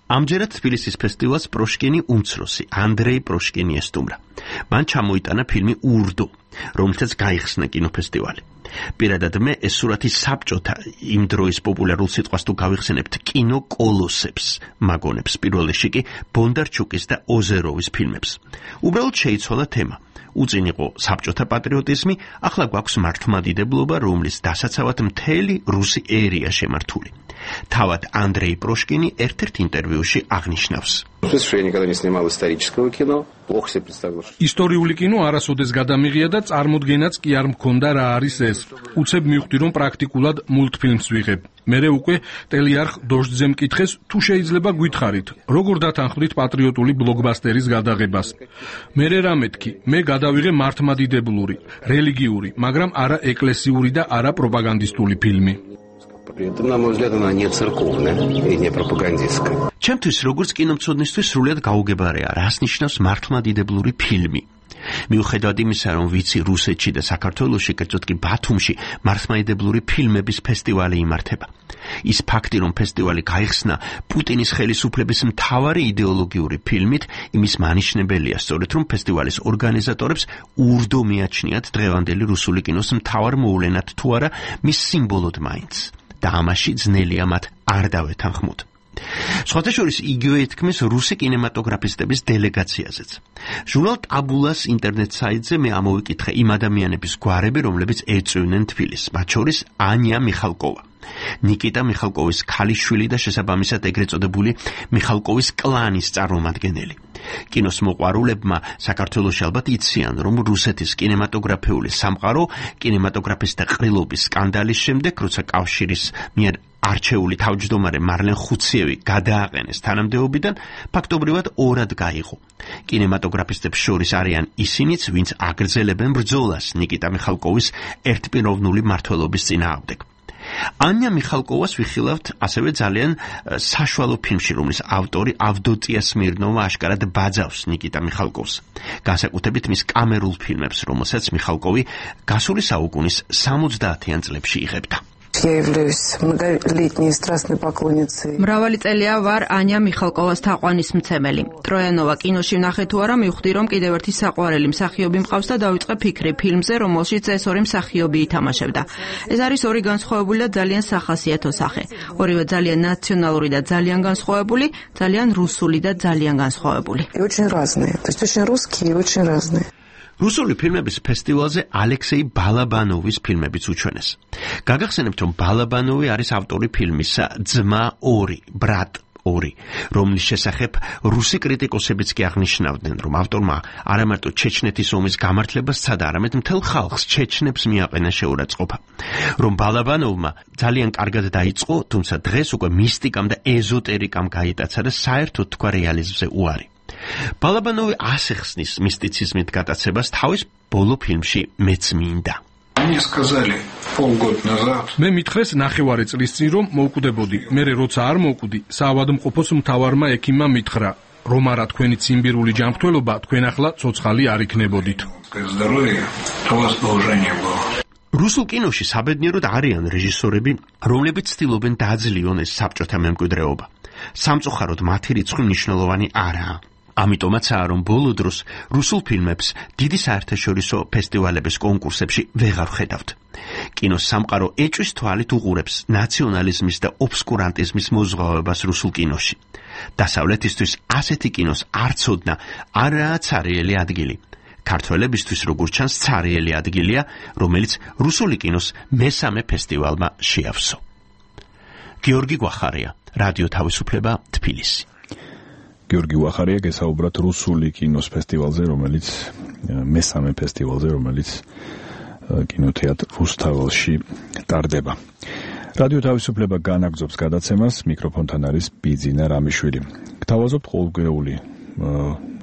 ამჯერად თბილისის ფესტივალს პროშკინი უმცროსი, ანდრეი პროშკინი ესტუმრა. მან ჩამოიტანა ფილმი ურდო, რომელსაც გაიხსნა კინოფესტივალი. პირადად მე ეს სურათი საბჭოთა იმ დროის პოპულარულ სიტყვას თუ გავიხსენებთ კინო კოლოსებს მაგონებს პირველ რიგში კი ბონდარჩუკის და ოზეროვის ფილმებს. უბრალოდ შეიცვალა თემა. უწინ იყო საბჭოთა პატრიოტიზმი, ახლა გვაქვს მართლმადიდებლობა, რომლის დასაცავად მთელი რუსი ერია შემართული. თავად ანდრეი პროშკინი ერთ-ერთ ინტერვიუში აღნიშნავს. ისტორიული კინო არასოდეს გადამიღია და წარმოდგენაც კი არ მქონდა რა არის ეს. უცებ მივხვდი რომ პრაქტიკულად მულტფილმს ვიღებ. მერე უკვე ტელიარხ დოჟძე მკითხეს თუ შეიძლება გითხარით, როგორ დათანხმდით პატრიოტული ბლოკბასტერის გადაღებას. მერე რა მეთქი, მე გადავიღე მართლმადიდებლური, რელიგიური, მაგრამ არა ეკლესიური და არა პროპაგანდისტული ფილმი. На мой взгляд, она не церковная и не пропагандистская. ჩემთვის როგორც კინომცოდნისთვის სრულად გაუგებარია, რას ნიშნავს მართლმადიდებლური ფილმი. მიუხედავად იმისა, რომ ვიცი რუსეთში და საქართველოში, კერძოდ კი ბათუმში მართლმადიდებლური ფილმების ფესტივალი იმართება. ის ფაქტი, რომ ფესტივალი გაიხსნა პუტინის ხელისუფლების მთავარი იდეოლოგიური ფილმით, იმის მანიშნებელია სწორედ, რომ ფესტივალის ორგანიზატორებს ურდო მიაჩნიათ დღევანდელი რუსული კინოს მთავარ მოვლენად თუ არა მის სიმბოლოდ მაინც. და ამაში ძნელია მათ არ დავეთანხმოთ. სხვათა შორის იგივე ეთქმის რუსი კინემატოგრაფისტების დელეგაციაზეც. ჟურნალ ტაბულას ინტერნეტ საიტზე მე ამოვიკითხე იმ ადამიანების გვარები, რომლებიც ეწვივნენ თბილისს, მათ შორის ანია მიხალკოვა. ნიკიტა მიხალკოვის ქალიშვილი და შესაბამისად ეგრეთ წოდებული მიხალკოვის კლანის წარმომადგენელი. კინოს მოყვარულებმა საქართველოში ალბათ იციან, რომ რუსეთის კინემატოგრაფიული სამყარო კინემატოგრაფისტთა ყრილობის სკანდალის შემდეგ, როცა კავშირის მიერ არჩეული თავმჯდომარე მარლენ ხუციევი გადააყენეს თანამდებობიდან, ფაქტობრივად ორად გაიღო. კინემატოგრაფისტებს შორის არიან ისინიც, ვინც აგრძელებენ ბრძოლას ნიკიტა მიხალკოვის ერთპიროვნული მმართველობის წინააღმდეგ. ანია მიხალკოვას ვიხილავთ ასევე ძალიან საშუალო ფილმში, რომლის ავტორი ავდოტია სმირნოვა აშკარად ბაძავს ნიკიტა მიხალკოვს. განსაკუთრებით მის კამერულ ფილმებს, რომელსაც მიხალკოვი გასული საუკუნის სამოცდაათიან წლებში იღებდა. მრავალი წელია ვარ ანია მიხალკოვას თაყვანისმცემელი. ტროიანოვა კინოში ვნახე თუ არა, მივხვდი რომ კიდევ ერთი საყვარელი მსახიობი მყავს და დავიწყე ფიქრი ფილმზე, რომელშიც ეს ორი მსახიობი ითამაშებდა. ეს არის ორი განსხვავებული და ძალიან სახასიათო სახე. ორივე ძალიან ნაციონალური და ძალიან განსხვავებული, ძალიან რუსული და ძალიან განსხვავებული. რუსული ფილმების ფესტივალზე ალექსეი ბალაბანოვის ფილმებიც უჩვენეს. გაგახსენებთ, რომ ბალაბანოვი არის ავტორი ფილმისა ძმა ორი, ბრატ ორი, რომლის შესახებ რუსი კრიტიკოსებიც კი აღნიშნავდნენ, რომ ავტორმა არა მარტო ჩეჩნეთის ომის გამართლებას სცადა, არამედ მთელ ხალხს ჩეჩნებს მიაყენა შეურაცხყოფა. რომ ბალაბანოვმა ძალიან კარგად დაიწყო, თუმცა დღეს უკვე მისტიკამ და ეზოტერიკამ გაიტაცა და საერთოდ თქვა რეალიზმზე უარი. ბალაბანოვი ასახსნის მისტიციზმით გატაცებას თავის ბოლო ფილმში მეც მინდა. მე მითხრეს ნახევარი წლის წინ რომ მოვკვდებოდი. მე როცა არ მოვკვდი, საავადმყოფოს მთავარმა ექიმმა მითხრა, რომ არა თქვენი ციმბირული ჯანმრთელობა, თქვენ ახლა ცოცხალი არ იქნებოდით. რუსულ კინოში საბედნიეროდ არიან რეჟისორები, რომლებიც ცდილობენ დააძლიონ ეს საბჭოთა მემკვიდრეობა. სამწუხაროდ მათი რიცხვი მნიშვნელოვანი არაა. ამიტომაცაა, რომ ბოლო დროს რუსულ ფილმებს დიდი საერთაშორისო ფესტივალების კონკურსებში ვეღარ ხედავთ. კინოს სამყარო ეჭვის თვალით უყურებს ნაციონალიზმის და ობსკურანტიზმის მოზღვავებას რუსულ კინოში. დასავლეთისთვის ასეთი კინოს არ ცოდნა არაა ცარიელი ადგილი. ქართველებისთვის როგორც ჩანს ცარიელი ადგილია, რომელიც რუსული კინოს მესამე ფესტივალმა შეავსო. გიორგი გვახარია, რადიო თავისუფლება, თბილისი. გიორგი ვახარია გესაუბრათ რუსული კინოს ფესტივალზე, რომელიც მესამე ფესტივალზე, რომელიც კინოთეატრ რუსთაველში ტარდება. რადიო თავისუფლება განაგრძობს გადაცემას, მიკროფონთან არის ბიძინა რამიშვილი. გთავაზობთ ყოველკვირეული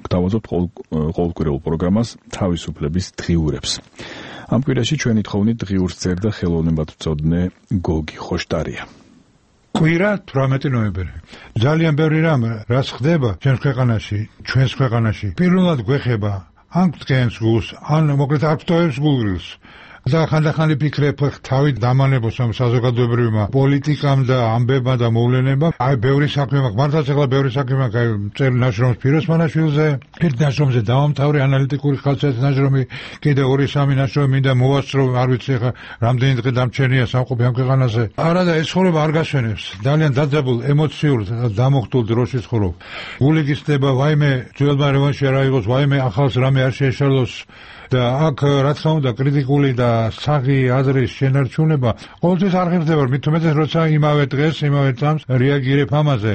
გთავაზობთ ყოველკვირეულ პროგრამას თავისუფლების დღიურებს. ამ კვირაში ჩვენი თხოვნით დღიურს წერდა ხელოვნებათმცოდნე გოგი ხოშტარია. კვირა თვრამეტი ნოემბერი. ძალიან ბევრი რამ რაც ხდება ჩვენს ქვეყანაში, ჩვენს ქვეყანაში. პირველად გვეხება ან ткენს გულს, ან მოკლედ არტოვებს გულს. და ხანდახან ვფიქრებ თავი დამანებოს ამ საზოგადოებრივმა პოლიტიკამ და ამბებმა და მოვლენებმა. აი ბევრი საქმე მაქვს, მართლაც ახლა ბევრი საქმე მაქვს, აი წერილ ნაშრომს ფიროსმანაშვილზე, ერთ ნაშრომზე დავამთავრე ანალიტიკური ხალხის ნაშრომი, კიდე ორი სამი ნაშრომი მინდა მოვასწრო, არ ვიცი ახლა რამდენი დღე დამჩენია სამყოფი ამ ქვეყანაზე. არა და ეს ცხოვრება არ გასვენებს. ძალიან დაძაბულ, ემოციურ, დამოხტულ დროში ცხოვრობ. გული გისდება, ვაიმე ძველმა რევანში არ აიღოს, ვაიმე ახალს რამე არ შეეშალოს. და აქ რა თქმა უნდა კრიტიკული და საღი აზრის შენარჩუნება ყოველთვის არ ღირდება, მით უმეტეს როცა იმავე დღეს, იმავე წამს რეაგირებ ამაზე.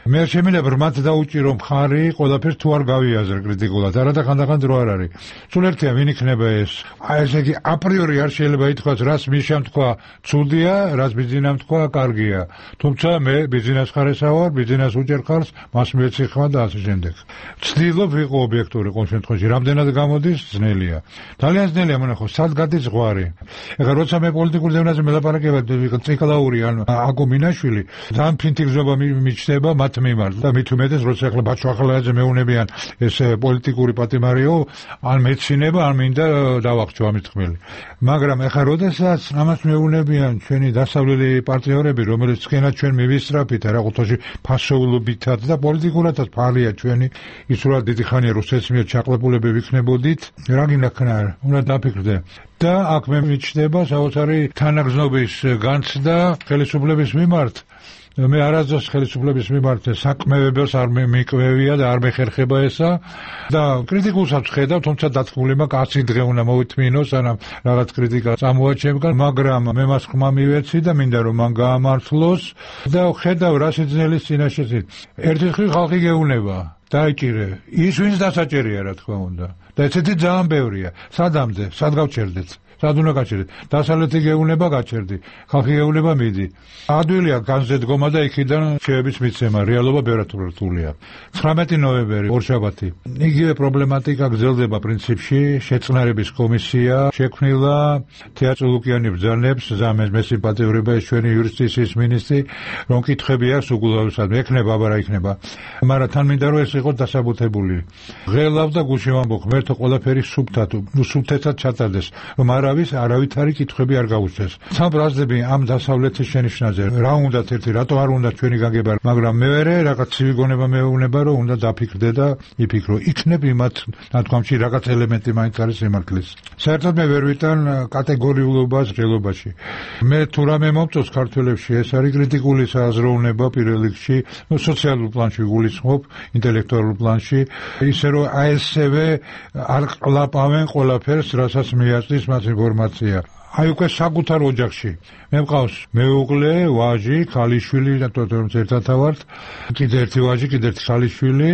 მე შემინდა მათ დაუჭირო მხარი, ყველაფერს თუ არ გავიაზრე კრიტიკულად, არა და ხანდახან დრო არ არის. სულ ერთია ვინ იქნება ეს. აი ესე იგი აპრიორი არ შეიძლება ითქვას, რას მიშამ თქვა ცუდია, რას ბიზნესამ თქვა კარგია. თუმცა მე ბიზნეს ხარესა ვარ, ბიზნეს უჭერ ხარს, მას მეციხმა და ასე შემდეგ. ვცდილობ ვიყო ობიექტური ყოველ შემთხვევაში, რამდენად გამოდის ძნელია. ძალიან ძნელია მონახო, სად გადის ზღვარი. ეხლა როცა მე პოლიტიკურ ზევნაზე მელაპარაკება ციკლაური ან აკომინაშვილი, ძალიან ფინტიგზობა მიჩნდება მათ მიმართ და მით უმეტეს როცა ახლა ბაჩო ახალაძე მეუნებიან ეს პოლიტიკური პატიმარიო, ან მეცინება, ან მინდა დავახჩო ამის ხმელი. მაგრამ ახლა როდესაც ამას მეუნებიან ჩვენი დასავლელი პარტნიორები, რომელიც თქვენად ჩვენ მივისწრაფით რა ყუთოში ფასოულობითაც და პოლიტიკურადაც ფარია ჩვენი, ის რა დიდი ხანია რუსეთის მიერ ჩაყლებულები ვიქნებოდით, რა გინდა ქნა, უნდა დაფიქრდე. და აქ მე მიჩნდება საოცარი თანაგზნობის განცდა ხელისუფლების მიმართ. მე არასდროს ხელისუფლების მიმართ საკმევებელს არ მეკვევია და არ მეხერხება ესა და კრიტიკულსაც ხედავ, თუმცა დათქმული მაქვს ათი დღე უნდა მოვითმინოს, სანამ რაღაც კრიტიკა წამოაჩემგან, მაგრამ მე მას ხმა მივეცი და მინდა რომ მან გაამართლოს და ხედავ რა სიძნელის წინაშეც. ერთი ხრი ხალხი გეუნება, დაიჭირე, ის ვინც დასაჭერია რა თქმა უნდა. და ესეთი ძალიან ბევრია. სადამდე, სად გავჩერდეთ? სად უნდა გაჩერდეთ? დასავლეთი გეუნება გაჩერდი, ხალხი გეუნება მიდი. ადვილია განზე დგომა და იქიდან შეების მიცემა, რეალობა ბევრად რთულია. ცხრამეტი ნოემბერი, ორშაბათი. იგივე პრობლემატიკა გრძელდება პრინციპში, შეწყნარების კომისია შექმნილა, თეატრი ლუკიანი ბრძანებს, ზამეს მესიმპათიურება ეს ჩვენი იუსტიციის მინისტრი, რომ კითხები აქვს უგულავსად, ექნება, აბა რა იქნება. მაგრამ თან მინდა რომ ეს იყოს დასაბუთებული. ღელავ და გულში ვამბობ, ღმერთო ყველაფერი სუფთად, ნუ სუფთეთად ჩატარდეს, რომ არავის არავითარი კითხვები არ გაუჩნდეს. სამ ბრაზდები ამ დასავლეთის შენიშვნაზე რა უნდათ ერთი, რატო არ უნდა ჩვენი გაგება, მაგრამ მეორე რაღაც ცივი გონება მეუბნება, რომ უნდა დაფიქრდე და იფიქრო. იქნებ იმათ ნათქვამში რაღაც ელემენტი მაინც არის სიმართლის. საერთოდ მე ვერ ვიტან კატეგორიულობას ღელობაში. მე თუ რამე მომწონს ქართველებში, ეს არის კრიტიკული საზროვნება პირველ რიგში, ნუ სოციალურ პლანში გულისხმობ, ინტელექტუალურ პლანში, ისე რომ აი ესევე არ ყლაპავენ ყველაფერს, რასაც მიაწვის მას ინფორმაცია. აი უკვე საკუთარ ოჯახში. მე მყავს მეუღლე, ვაჟი, ქალიშვილი, რატომ ერთად ვართ, კიდე ერთი ვაჟი, კიდე ერთი ქალიშვილი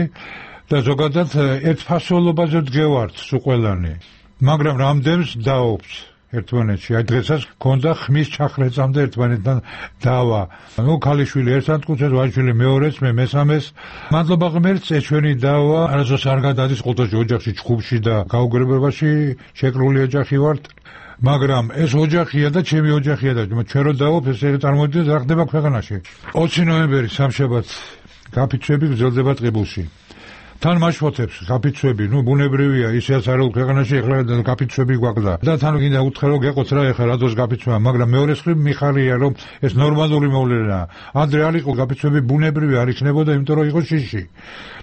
და ზოგადად ერთფასოვანობაზე დგევართ სულ ყველანი. მაგრამ რამდენს დაობს ერთმანეთში. აი დღესაც გქონდა ხმის ჩახრეწამდე ერთმანეთთან დავა. ნუ ქალიშვილი ერთად კუცეს, ვაჟიშვილი მეორეს, მე მესამეს. მადლობა ღმერთს, ეს ჩვენი დავა არასდროს არ გადადის ყოველთვის ოჯახში, ჯგუფში და გაუგებრებაში შეკრული ოჯახი ვართ. მაგრამ ეს ოჯახია და ჩემი ოჯახია და ჩვენ რო დავობ ეს წარმოიდგინეთ რა ხდება ქვეყანაში. ოცი ნოემბერი სამშაბათს გაფიცვები გრძელდება ტყიბულში. თან მაშფოთებს გაფიცვები, ნუ ბუნებრივია, ისეაც არის ქვეყანაში ეხლა გაფიცვები გვაქვს და თან გინდა უთხრა რომ გეყოთ რა ეხლა რადოს გაფიცვა, მაგრამ მეორე მხრივ მიხარია რომ ეს ნორმალური მოვლენაა. ადრე არ იყო გაფიცვები ბუნებრივი არ იქნებოდა, იმიტომ რომ იყო შიში.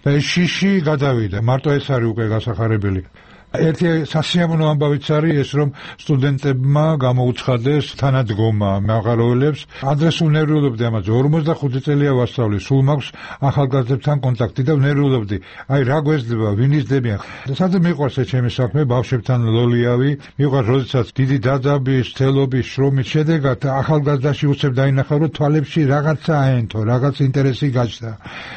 და ეს შიში გადავიდა. მარტო ეს არის უკვე გასახარებელი. ერთი სასიამოვნო ამბავიც არის ეს, რომ სტუდენტებმა გამოუცხადეს თანადგომა მაღაროელებს. ადრე სულ ნერვიულობდი ამაზე, ორმოცდახუთი წელია ვასწავლი, სულ მაქვს ახალგაზრდებთან კონტაქტი და ნერვიულობდი. აი რა გვეძლება, ვინ იზრდებიან. სადაც მიყვარს ეს ჩემი საქმე, ბავშვებთან ლოლიავი, მიყვარს როდესაც დიდი დაძაბის, თელობის, შრომის შედეგად ახალგაზრდაში უცებ დაინახავ, რომ თვალებში რაღაცა აენთო, რაღაც ინტერესი გაჩნდა.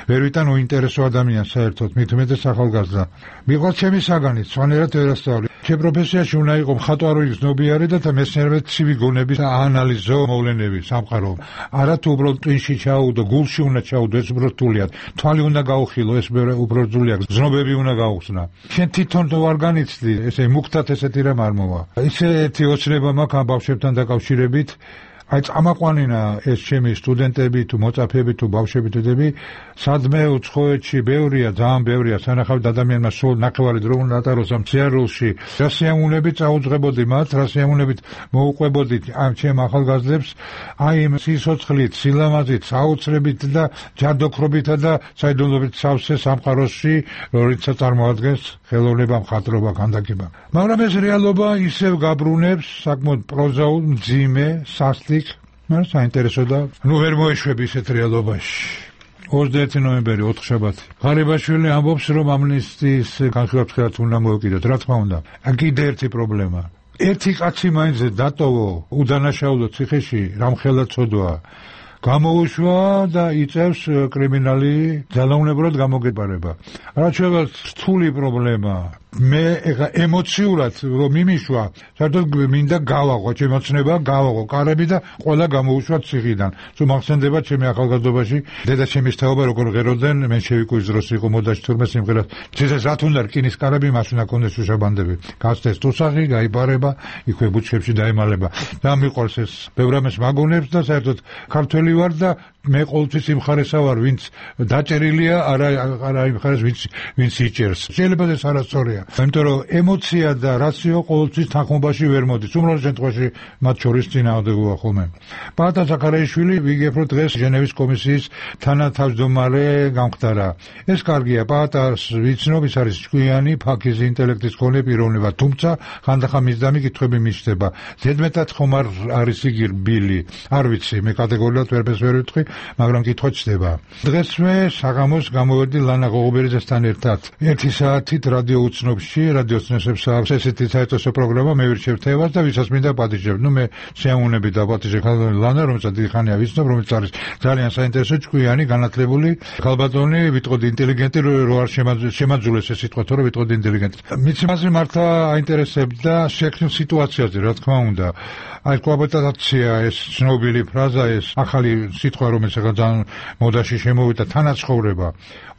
ვერ ვიტან უინტერესო ადამიანს საერთოდ, მით უმეტეს ახალგაზრდა. მიყვარს ჩემი საგანიც, სვანერად ვერასწავლი. ჩემ პროფესიაში უნდა იყო მხატვარი გზნობიარე და მეცნიერებად ცივი გონების აანალიზო მოვლენები სამყარო. არა თუ უბრალოდ ტვინში ჩაუდო, გულში უნდა ჩაუდო, ეს უფრო რთულია. თვალი უნდა გაუხილო, ეს უფრო რთულია. გზნობები უნდა გაუხსნა. შენ თვითონ თუ არ განიცდი, ესე მუქთად ესეთი რამ არ მოვა. ისეთი ოცნება მაქვს ამ ბავშვებთან დაკავშირებით. აი წამაყვანინა ეს ჩემი სტუდენტები თუ მოწაფეები თუ ბავშვები თუ დები სადმე უცხოეთში ბევრია ძალიან ბევრია სანახავთ ადამიანმა სულ ნახევარი დრო უნდა ატაროს ამ სიარულში რა სიამოვნებით წაუძღებოდი მათ რა სიამოვნებით მოუყვებოდით ამ ჩემ ახალგაზრდებს აი იმ სიცოცხლით სილამაზით საოცრებით და ჯადოქრობითა და საიდუმლოებით სავსე სამყაროში როცა წარმოადგენს ხელოვნება მხატვრობა ქანდაკება მაგრამ ეს რეალობა ისევ გაბრუნებს საკმაოდ პროზაულ მძიმე სასტიკ მაგრამ საინტერესო და ნუ ვერ მოეშვები ისეთ რეალობაში ოცდაერთი ნოემბერი ოთხშაბათი ღარიბაშვილი ამბობს რომ ამნისტიის განხილვაც უნდა მოეკიდოთ რა თქმა უნდა კიდე ერთი პრობლემა ერთი კაცი მაინც დატოვო უდანაშაულო ციხეში რამხელა ცოდვა გამოუშვა და იწევს კრიმინალი ძალაუნებურად გამოგეპარება რაც შეიძლება რთული პრობლემა მე ეხა ემოციურად რომ მიმიშვა საერთოდ მინდა გავაღო ჩემი ოცნება გავაღო კარები და ყველა გამოუშვა ციხიდან თუ მახსენდება ჩემი ახალგაზრდობაში დედა ჩემის თაობა როგორ ღეროდნენ მენშევიკის დროს იყო მოდაში თურმე სიმღერას ციხეს რა თუნდა რკინის კარები მას უნდა კონდეს უშაბანდები გასცეს თუსაღი გაიპარება იქვე ბუჩქებში დაემალება და მიყვარს ეს ბევრამეს მაგონებს და საერთოდ ქართველი ვარ და მე ყოველთვის იმ ხარესა ვარ ვინც დაჭერილია არა არა იმ ხარეს ვინც ვინც იჭერს შეიძლება ეს არასწორია იმიტომ რომ ემოცია და რაციო ყოველთვის თანხმობაში ვერ მოდის უმრავლეს შემთხვევაში მათ შორის წინააღმდეგობა ხოლმე პაატა ზაქარიაშვილი ვიგებ რომ დღეს ჟენევის კომისიის თანათავმჯდომარე გამხდარა ეს კარგია პაატას ვიცნობ ის არის ჭკვიანი ფაქიზი ინტელექტის მქონე პიროვნება თუმცა ხანდახან მისდამი კითხვები მისდება ზედმეტად ხომ არ არის იგი რბილი არ ვიცი მე კატეგორიულად ვერպես ვერ ვიტყვი მაგრამ კითხვა ჩდება დღეს მე საღამოს გამოვედი ლანა ღოღობერიძესთან ერთად ერთი საათით რადიო უცნობში რადიო ცნესებს აქვს ესეთი საერთო პროგრამა მე ვირჩევ თევას და ვისაც მინდა პატიჟებ ნუ მე შეამოვნები და პატიჟე ხალხი ლანა რომელსაც დიდი ხანია ვიცნობ რომელიც არის ძალიან საინტერესო ჭკვიანი განათლებული ხალბატონი ვიტყოდი ინტელიგენტი რო არ შემაძულეს ეს სიტყვა თორე ვიტყოდი ინტელიგენტი მიცი მასე მართლა აინტერესებდა შექმნილ სიტუაციაზე რა თქმა უნდა აი კოაბიტაცია ეს ცნობილი ფრაზა ეს ახალი სიტყვა რომელიც ახლა ძალიან მოდაში შემოვიდა თანაცხოვრება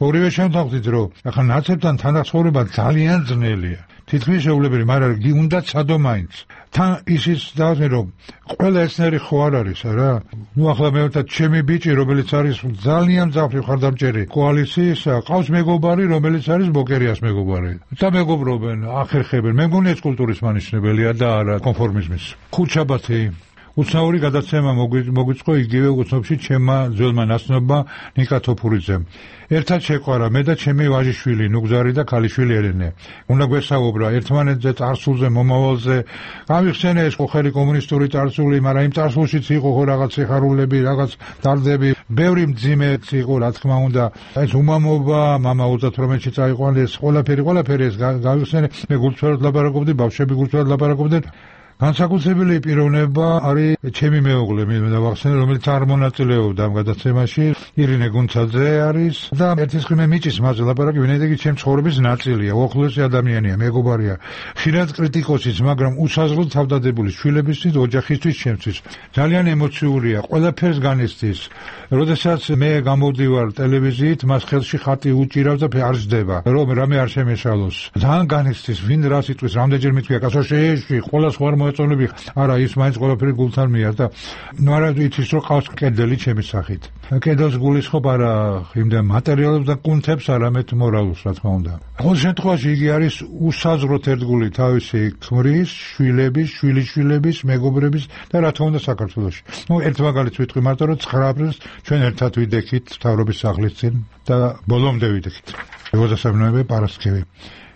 ორივე შემთხვევით რომ ახლა ნაცებთან თანაცხოვრება ძალიან ძნელია თითქმის შეუძლებელი მაგრამ უნდა ცადო მაინც თან ისიც დავზნე რომ ყველა ესნერი ხო არ არის არა ნუ ახლა მე ვთქვი ჩემი ბიჭი რომელიც არის ძალიან ძაფრი ხარდამჭერი კოალიციისა ყავს მეგობარი რომელიც არის ბოკერიას მეგობარი და მეგობრობენ ახერხებენ მე მგონი ეს კულტურის მანიშნებელია და არა კონფორმიზმის ხუთშაბათი უცნაური გადაცემა მოგვიწყო იგივე უცნობში ჩემმა ძველმა ნაცნობმა ნიკა თოფურიძემ ერთად შეყვარა მე და ჩემი ვაჟიშვილი ნუგზარი და ქალიშვილი ელენე უნდა გვესაუბრა ერთმანეთზე წარსულზე მომავალზე გამიხსენე ეს ხოხერი კომუნისტური წარსული მაგრამ იმ წარსულშიც იყო ხო რაღაც სიხარულები რაღაც დარდები ბევრი მძიმეც იყო რა თქმა უნდა ეს უმამობა მამა ოცდათვრამეტში წაიყვანეს ყველაფერი ყველაფერი ეს გამიხსენე მე გულწრფელად ლაპარაკობდი ბავშვები გულწრფელად ლაპარაკობდნენ განსაკუთრებული პიროვნება არის ჩემი მეუღლე მე დავახსენე რომელიც არ მონაწილეობდა ამ გადაცემაში ირინე გუნცაძე არის და ერთის ხმე მიჭის მასე ლაპარაკი ვინაიდან იგი ჩემს ცხოვრების ნაწილია უახლოესი ადამიანია მეგობარია ხშირად კრიტიკოსიც მაგრამ უსაზღვროდ თავდადებული შვილებისთვის ოჯახისთვის ჩემთვის ძალიან ემოციურია ყველაფერს განიცდის როდესაც მე გამოდივარ ტელევიზიით მას ხელში ხატი უჭირავს და არ ჯდება რომ რამე არ შემეშალოს ძალიან განიცდის ვინ რას იტყვის რამდენჯერ მithქვია კაცო შეეში ყველა სხვა მოეწონები არა ის მაინც ყველაფერი გულთან მიარდა ნუ არა იცის რომ ყავს კედელი ჩემი სახით კედელს გულისხმობ არა იმდენ მატერიალებს და კუნთებს არამედ მორალს რა თქმა უნდა ყოველ შემთხვევაში იგი არის უსაზღვროდ ერთგული თავისი ქმრის შვილების შვილიშვილების მეგობრების და რა თქმა უნდა საქართველოში ნუ ერთ მაგალითს ვიტყვი მარტო რომ ცხრა აპრილს ჩვენ ერთად ვიდექით მთავრობის სახლის წინ და ბოლომდე ვიდექით ოცდასამი ნოემბერი პარასკევი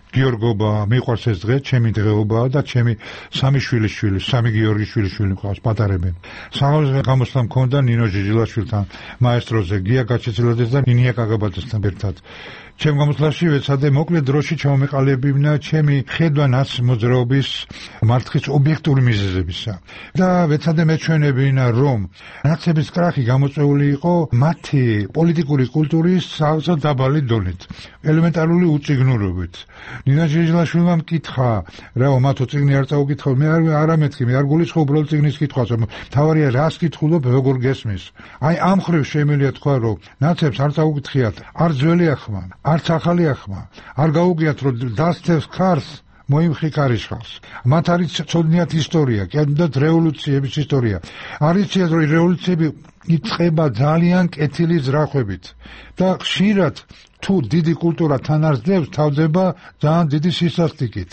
გიორგობა მიყვარს ეს დღე ჩემი დღეობაა და ჩემი სამი შვილის შვილი სამი გიორგის შვილის შვილი მყავს პატარები საღამოს გამოსვლა მქონდა ნინო ჟიჟილაშვილთან მაესტროზე გია გაჩეცილაძეს და ნინია კაგაბაძესთან ერთად ჩემ გამოსვლაში ვეცადე მოკლე დროში ჩამომეყალიბებინა ჩემი ხედვა ნაცმოძრაობის მარცხის ობიექტური მიზეზებისა და ვეცადე მეჩვენებინა რომ ნაცების კრახი გამოწვეული იყო მათი პოლიტიკური კულტურის სავსე დაბალი დონით ელემენტარული უწიგნურობით ნინა ჟიჟილაშვილმა მკითხა რაო მათო წიგნი არ წაუკითხო მე არ არ ამეთქი მე არ გულისხმობ უბრალოდ წიგნის კითხვას თავარია რას კითხულობ როგორ გესმის აი ამ ხრივ შემიძლია თქვა რომ ნაცებს არ წაუკითხიათ არ ძველი ახმა არც ახალი ახმა არ გაუგიათ რომ დასცეს ქარს მოიმხიკარიშხავს. მათ არის ცოდნიათ ისტორია, კიდევ რევოლუციების ისტორია. არის რომ რევოლუციები იწყება ძალიან კეთილი ზრახვებით და ხშირად თუ დიდი კულტურა თან არ ძებს, თავდება ძალიან დიდი სისასტიკით.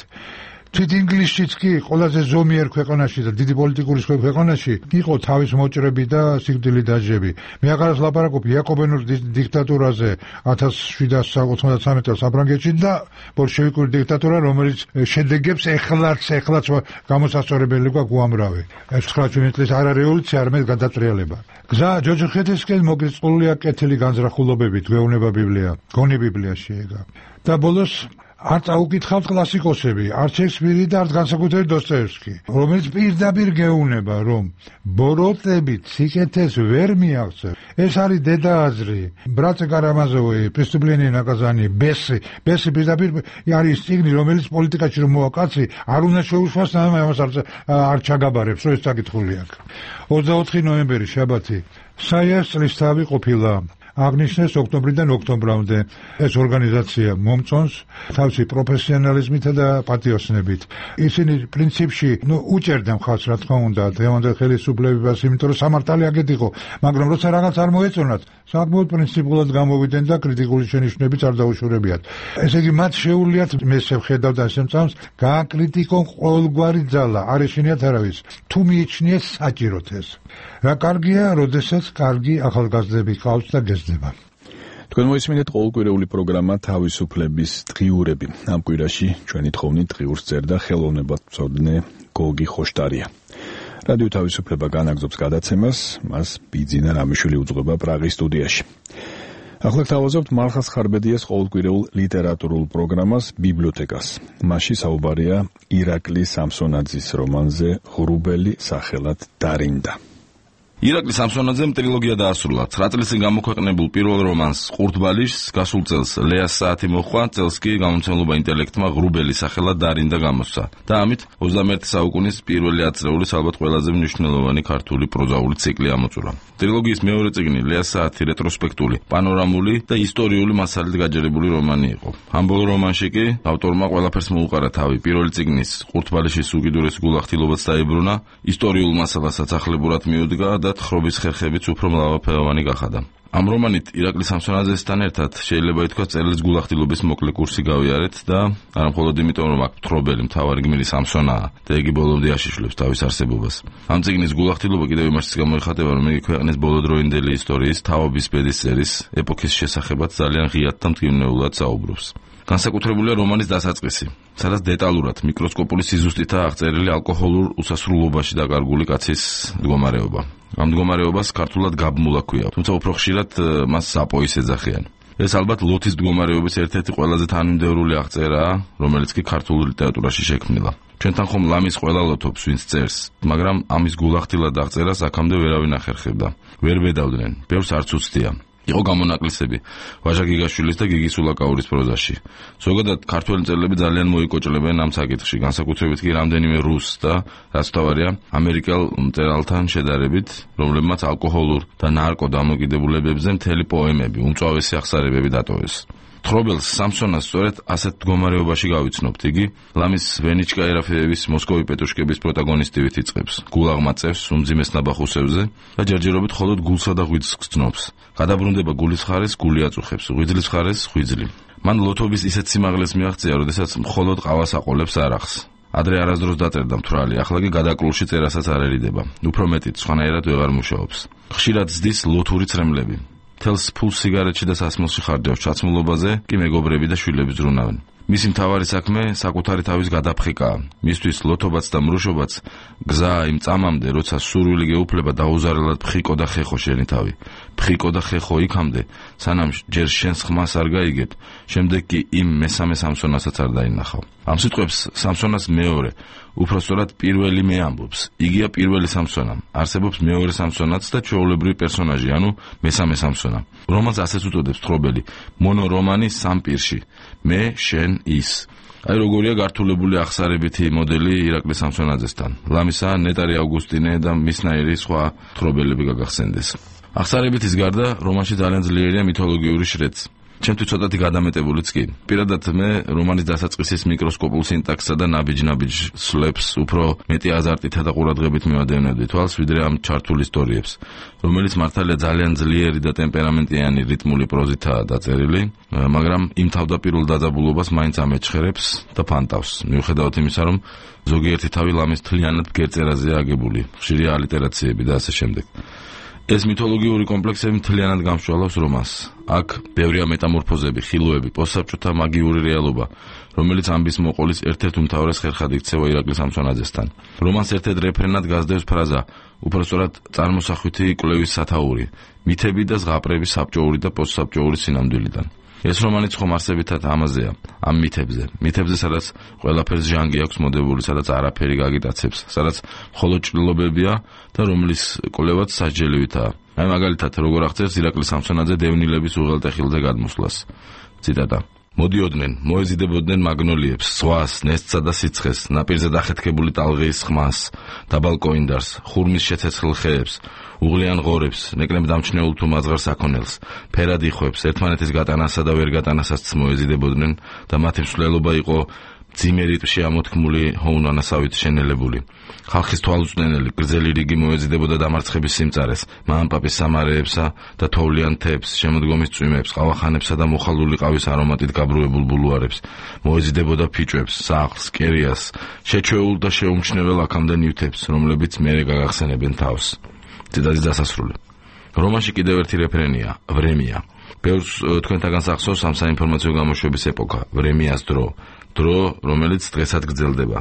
თვით ინგლისშიც კი ყველაზე ზომიერ ქვეყანაში და დიდი პოლიტიკური ქვეყანაში იყო თავის მოჭრები და სიკვდილი დაჟები. მე აღარს ლაპარაკობ იაკობენურ დიქტატურაზე ათას შვიდასი ოცდამეტ წელს საფრანგეთში და ბოლშევიკური დიქტატურა, რომელიც შედეგებს ეხლაც ეხლაც გამოსასწორებელი გვაქვს უამრავი. ეს ცხრაათი წლის არა რევოლუცია, არამედ გადატრიალება. გზა ჯოჯოხეთისკენ მოგწყულია კეთილი განზრახულობებით, გვეუბნება ბიბლია, გონი ბიბლია შეეგა. და ბოლოს არ წაუკითხავთ კლასიკოსები, არ შექსპირი და არ განსაკუთრებით დოსტოევსკი, რომელიც პირდაპირ გეუბნება, რომ ბოროტებით სიკეთეს ვერ მიაღწევ. ეს არის დედააზრი, ბრატ კარამაზოვი, პრესტუპლენია ნაკაზანი, ბესი, ბესი პირდაპირ არის წიგნი, რომელიც პოლიტიკაში რომ მოვა კაცი, არ უნდა შეუშვას, ამას არ ჩაგაბარებს, რომ ეს საკითხული აქვს. ოცდაოთხი ნოემბერი, შაბათი, საიას წლისთავი ყოფილა. აღნიშნეს ოქტომბრიდან ოქტომბრამდე. ეს ორგანიზაცია მომწონს თავისი პროფესიონალიზმითა და პატიოსნებით. ისინი პრინციპში, ნუ უჭერდა მხარს, რა თქმა უნდა, დღევანდელ ხელისუფლებას, იმიტომ რომ სამართალი აგეთ იყო, მაგრამ როცა რაღაც არ მოეწონათ, საკმაოდ პრინციპულად გამოვიდნენ და კრიტიკული შენიშვნებიც არ დაუშურებიათ. ესე იგი, მათ შეუძლიათ, მე შევხედავ და შემწამს, გააკრიტიკონ ყოველგვარი ძალა, არ ეშინიათ არავის, თუ მიიჩნიეს საჭიროთ ეს. რა კარგია, როდესაც კარგი ახალგაზრდები ყავს და გესდება. თქვენ მოისმინეთ ყოველკვირეული პროგრამა თავისუფლების დღიურები. ამ კვირაში ჩვენი თხოვნით დღიურს წერდა ხელოვნებად მცოდნე გოგი ხოშტარია. რადიო თავისუფლება განაგზობს გადაცემას, მას ბიძინა რამიშვილი უძღვება პრაღის სტუდიაში. ახლა გთავაზობთ მალხას ხარბედიას ყოველკვირეულ ლიტერატურულ პროგრამას ბიბლიოთეკას. მასში საუბარია ირაკლი სამსონაძის რომანზე ღრუბელი სახელად დარინდა. ირაკლი სამსონაძემ ტრილოგია დაასრულა. ცხრა წლის წინ გამოქვეყნებულ პირველ რომანს ყურთბალიშს გასულ წელს ლეას საათი მოჰყვა, წელს კი გამომცემლობა ინტელექტმა ღრუბელი სახელად დარინდა გამოსცა. და ამით ოცდამეერთე საუკუნის პირველი ათწლეულის ალბათ ყველაზე მნიშვნელოვანი ქართული პროზაული ციკლი ამოწურა. ტრილოგიის მეორე წიგნი ლეას საათი რეტროსპექტული, პანორამული და ისტორიული მასალით გაჯერებული რომანი იყო. ამ ბოლო რომანში კი ავტორმა ყველაფერს მოუყარა თავი. პირველი წიგნის ყურთბალიშის უკიდურესი გულახდილობაც დაებრუნა, ისტორიულ მასალასაც ახლებურად მიუდგა და თხრობის ხერხებიც უფრო მრავალფეროვანი გახადა. ამ რომანით ირაკლი სამსონაძესთან ერთად შეიძლება ითქვას წერილის გულახდილობის მოკლე კურსი გავიარეთ და არა მხოლოდ იმიტომ, რომ აქ თხრობელი მთავარი გმირი სამსონაა და იგი ბოლომდე აშიშვლებს თავის არსებობას. ამ წიგნის გულახდილობა კიდევ იმაშიც გამოიხატება, რომ იგი ქვეყნის ბოლოდროინდელი ისტორიის, თაობის ბედის წერის, ეპოქის შესახებაც ძალიან ღიად და მტკივნეულად საუბრობს. განსაკუთრებულია რომანის დასაწყისი, სადაც დეტალურად მიკროსკოპული სიზუსტითაა აღწერილი ალკოჰოლურ უსასრულობაში დაკარგული კაცის მდგომარეობა. ამ მდგომარეობას ქართულად გაბმულა ქვია, თუმცა უფრო ხშირად მას საპოის ეძახიან. ეს ალბათ ლოთის მდგომარეობის ერთ-ერთი ყველაზე თანმიმდევრული აღწერაა, რომელიც კი ქართულ ლიტერატურაში შექმნილა. ჩვენთან ხომ ლამის ყველა ლოთობს, ვინც წერს, მაგრამ ამის გულახდილად აღწერას აქამდე ვერავინ ახერხებდა. ვერ ბედავდნენ, ბევრს არც უცდია. იყო გამონაკლისები ვაჟა გიგაშვილის და გიგის ულაკაურის პროზაში. ზოგადად ქართველი მწერლები ძალიან მოიკოჭლებენ ამ საკითხში, განსაკუთრებით კი რამდენიმე რუს და რაც თავარია ამერიკელ მწერალთან შედარებით, რომლებმაც ალკოჰოლურ და ნარკო დამოკიდებულებებზე მთელი პოემები, უმწვავესი აღსარებები დატოვეს. თხრობელს სამსონას სწორედ ასეთ მდგომარეობაში გავიცნობთ. იგი ლამის ვენიჩკა ერაფეევის მოსკოვი პეტრუშკების პროტაგონისტივით იწყებს. გულაღმა წევს უმძიმეს ნაბახუსებზე და ჯერჯერობით მხოლოდ გულსა და ღვიძლს გრძნობს. გადაბრუნდება გულის ხარეს, გული აწუხებს, ღვიძლის ხარეს, ღვიძლი. მან ლოთობის ისეთ სიმაღლეს მიაღწია, როდესაც მხოლოდ ყავას აყოლებს არახს. ადრე არასდროს დაწერდა მთვრალი, ახლა კი გადაკლულში წერასაც არერიდება. უფრო მეტიც, სხვანაირად ვეღარ მუშაობს. ხშირად ზდის ლოთური ცრემლები. თელს ფულს სიგარეტში და სასმელში ხარჯავს, ჩაცმულობაზე კი მეგობრები და შვილები ზრუნავენ. მისი მთავარი საქმე საკუთარი თავის გადაფხიკაა. მისთვის ლოთობაც და მრუშობაც გზაა იმ წამამდე, როცა სურვილი გეუფლება დაუზარელად ფხიკო და ხეხო შენი თავი. ფხიკო და ხეხო იქამდე, სანამ ჯერ შენს ხმას არ გაიგებ, შემდეგ კი იმ მესამე სამსონასაც არ დაინახავ. ამ სიტყვებს სამსონას მეორე, უпростоრად პირველი მე ამბობს. იგია პირველი სამსონა. არსებობს მეორე სამსონაც და ჩვეულებრივი პერსონაჟი, ანუ მესამე სამსონა. რომანს ასეც უწოდებს თხრობელი, მონორომანი სამ პირში. მე, შენ, ის. აი როგორია გართულებული აღსარებითი მოდელი ირაკლი სამსონაძესთან. ლამისა, ნეტარი ავგუსტინე და მისნაირი სხვა თხრობელები გაგახსენდეს. აღსარებითის გარდა რომანში ძალიან ძლიერია მითოლოგიური შრეც. ჩემთვის ცოტათი გადამეტებულიც კი. პირადად მე რომანის დასაწყისის მიკროსკოპულ სინტაქსსა და ნაბიჯ-ნაბიჯ სლებს უფრო მეტი აზარტითა და ყურადღებით მივადევნებდი თვალს, ვიდრე ამ ჩართულ ისტორიებს, რომელიც მართალია ძალიან ძლიერი და ტემპერამენტიანი რიტმული პროზითაა დაწერილი, მაგრამ იმ თავდაპირველ დაძაბულობას მაინც ამეჩხერებს და ფანტავს. მიუხედავად იმისა, რომ ზოგიერთი თავი ლამის თლიანად ბგერწერაზეა აგებული, ხშირია ალიტერაციები და ასე შემდეგ. ეს მითოლოგიური კომპლექსები მთლიანად გამშვალავს რომანს. აქ ბევრია მეტამორფოზები, ხილოები, პოსტსაბჭოთა მაგიური რეალობა, რომელიც ამბის მოყოლის ერთ-ერთ უმთავრეს ხერხად იქცევა ირაკლი სამსონაძესთან. რომანს ერთ-ერთ რეფრენად გასდევს ფრაზა, უпростоრად წარმოსახვითი კვლევის სათაური, მითები და ზღაპრები საბჭოური და პოსტსაბჭოური სინამდვილიდან. ეს რომანიც ხომ არსებითად ამაზეა, ამ მითებზე, მითებზე, სადაც ყველაფერს ჟანგი აქვს მოდებული, სადაც არაფერი გაგიტაცებს, სადაც მხოლოდ ჭრილობებია და რომლის კვლევაც სასჯელივითაა. აი მაგალითად, როგორ აღწერს ირაკლი სამსონაძე დევნილების უღელტეხილზე გადმოსვლას. ციტატა: მოდიოდნენ, მოეზიდებოდნენ მაგნოლიებს, ზღვას, ნესტსა და სიცხეს, ნაპირზე დახეთქებული ტალღის ხმას, დაბალ კოინდარს, ხურმის შეცეცხლ ხეებს, უღლიან ღორებს, ნეკნებ დამჩნეულ თუ მაზღარ საქონელს, ფერად იხვებს, ერთმანეთის გატანასა და ვერ გატანასაც მოეზიდებოდნენ და მათი მსვლელობა იყო მძიმე რიტმში ამოთქმული ჰოუნანასავით შენელებული. ხალხის თვალუწვდენელი გრძელი რიგი მოეზიდებოდა დამარცხების სიმწარეს, მამპაპის სამარეებსა და თოვლიან თებს, შემოდგომის წვიმებს, ყავახანებსა და მოხალული ყავის არომატით გაბრუებულ ბულუარებს, მოეზიდებოდა ფიჭვებს, სახლს, კერიას, შეჩვეულ და შეუმჩნეվել აქამდე ნივთებს, რომლებიც მერე გაგახსენებენ თავს. ციტატის დასასრული. რომანში კიდევ ერთი რეფერენია, ვრემია. ბევრს თქვენთაგან სახსოვს ამ საინფორმაციო გამოშვების ეპოქა, ვრემიას დრო. დრო, რომელიც დღესაც გრძელდება.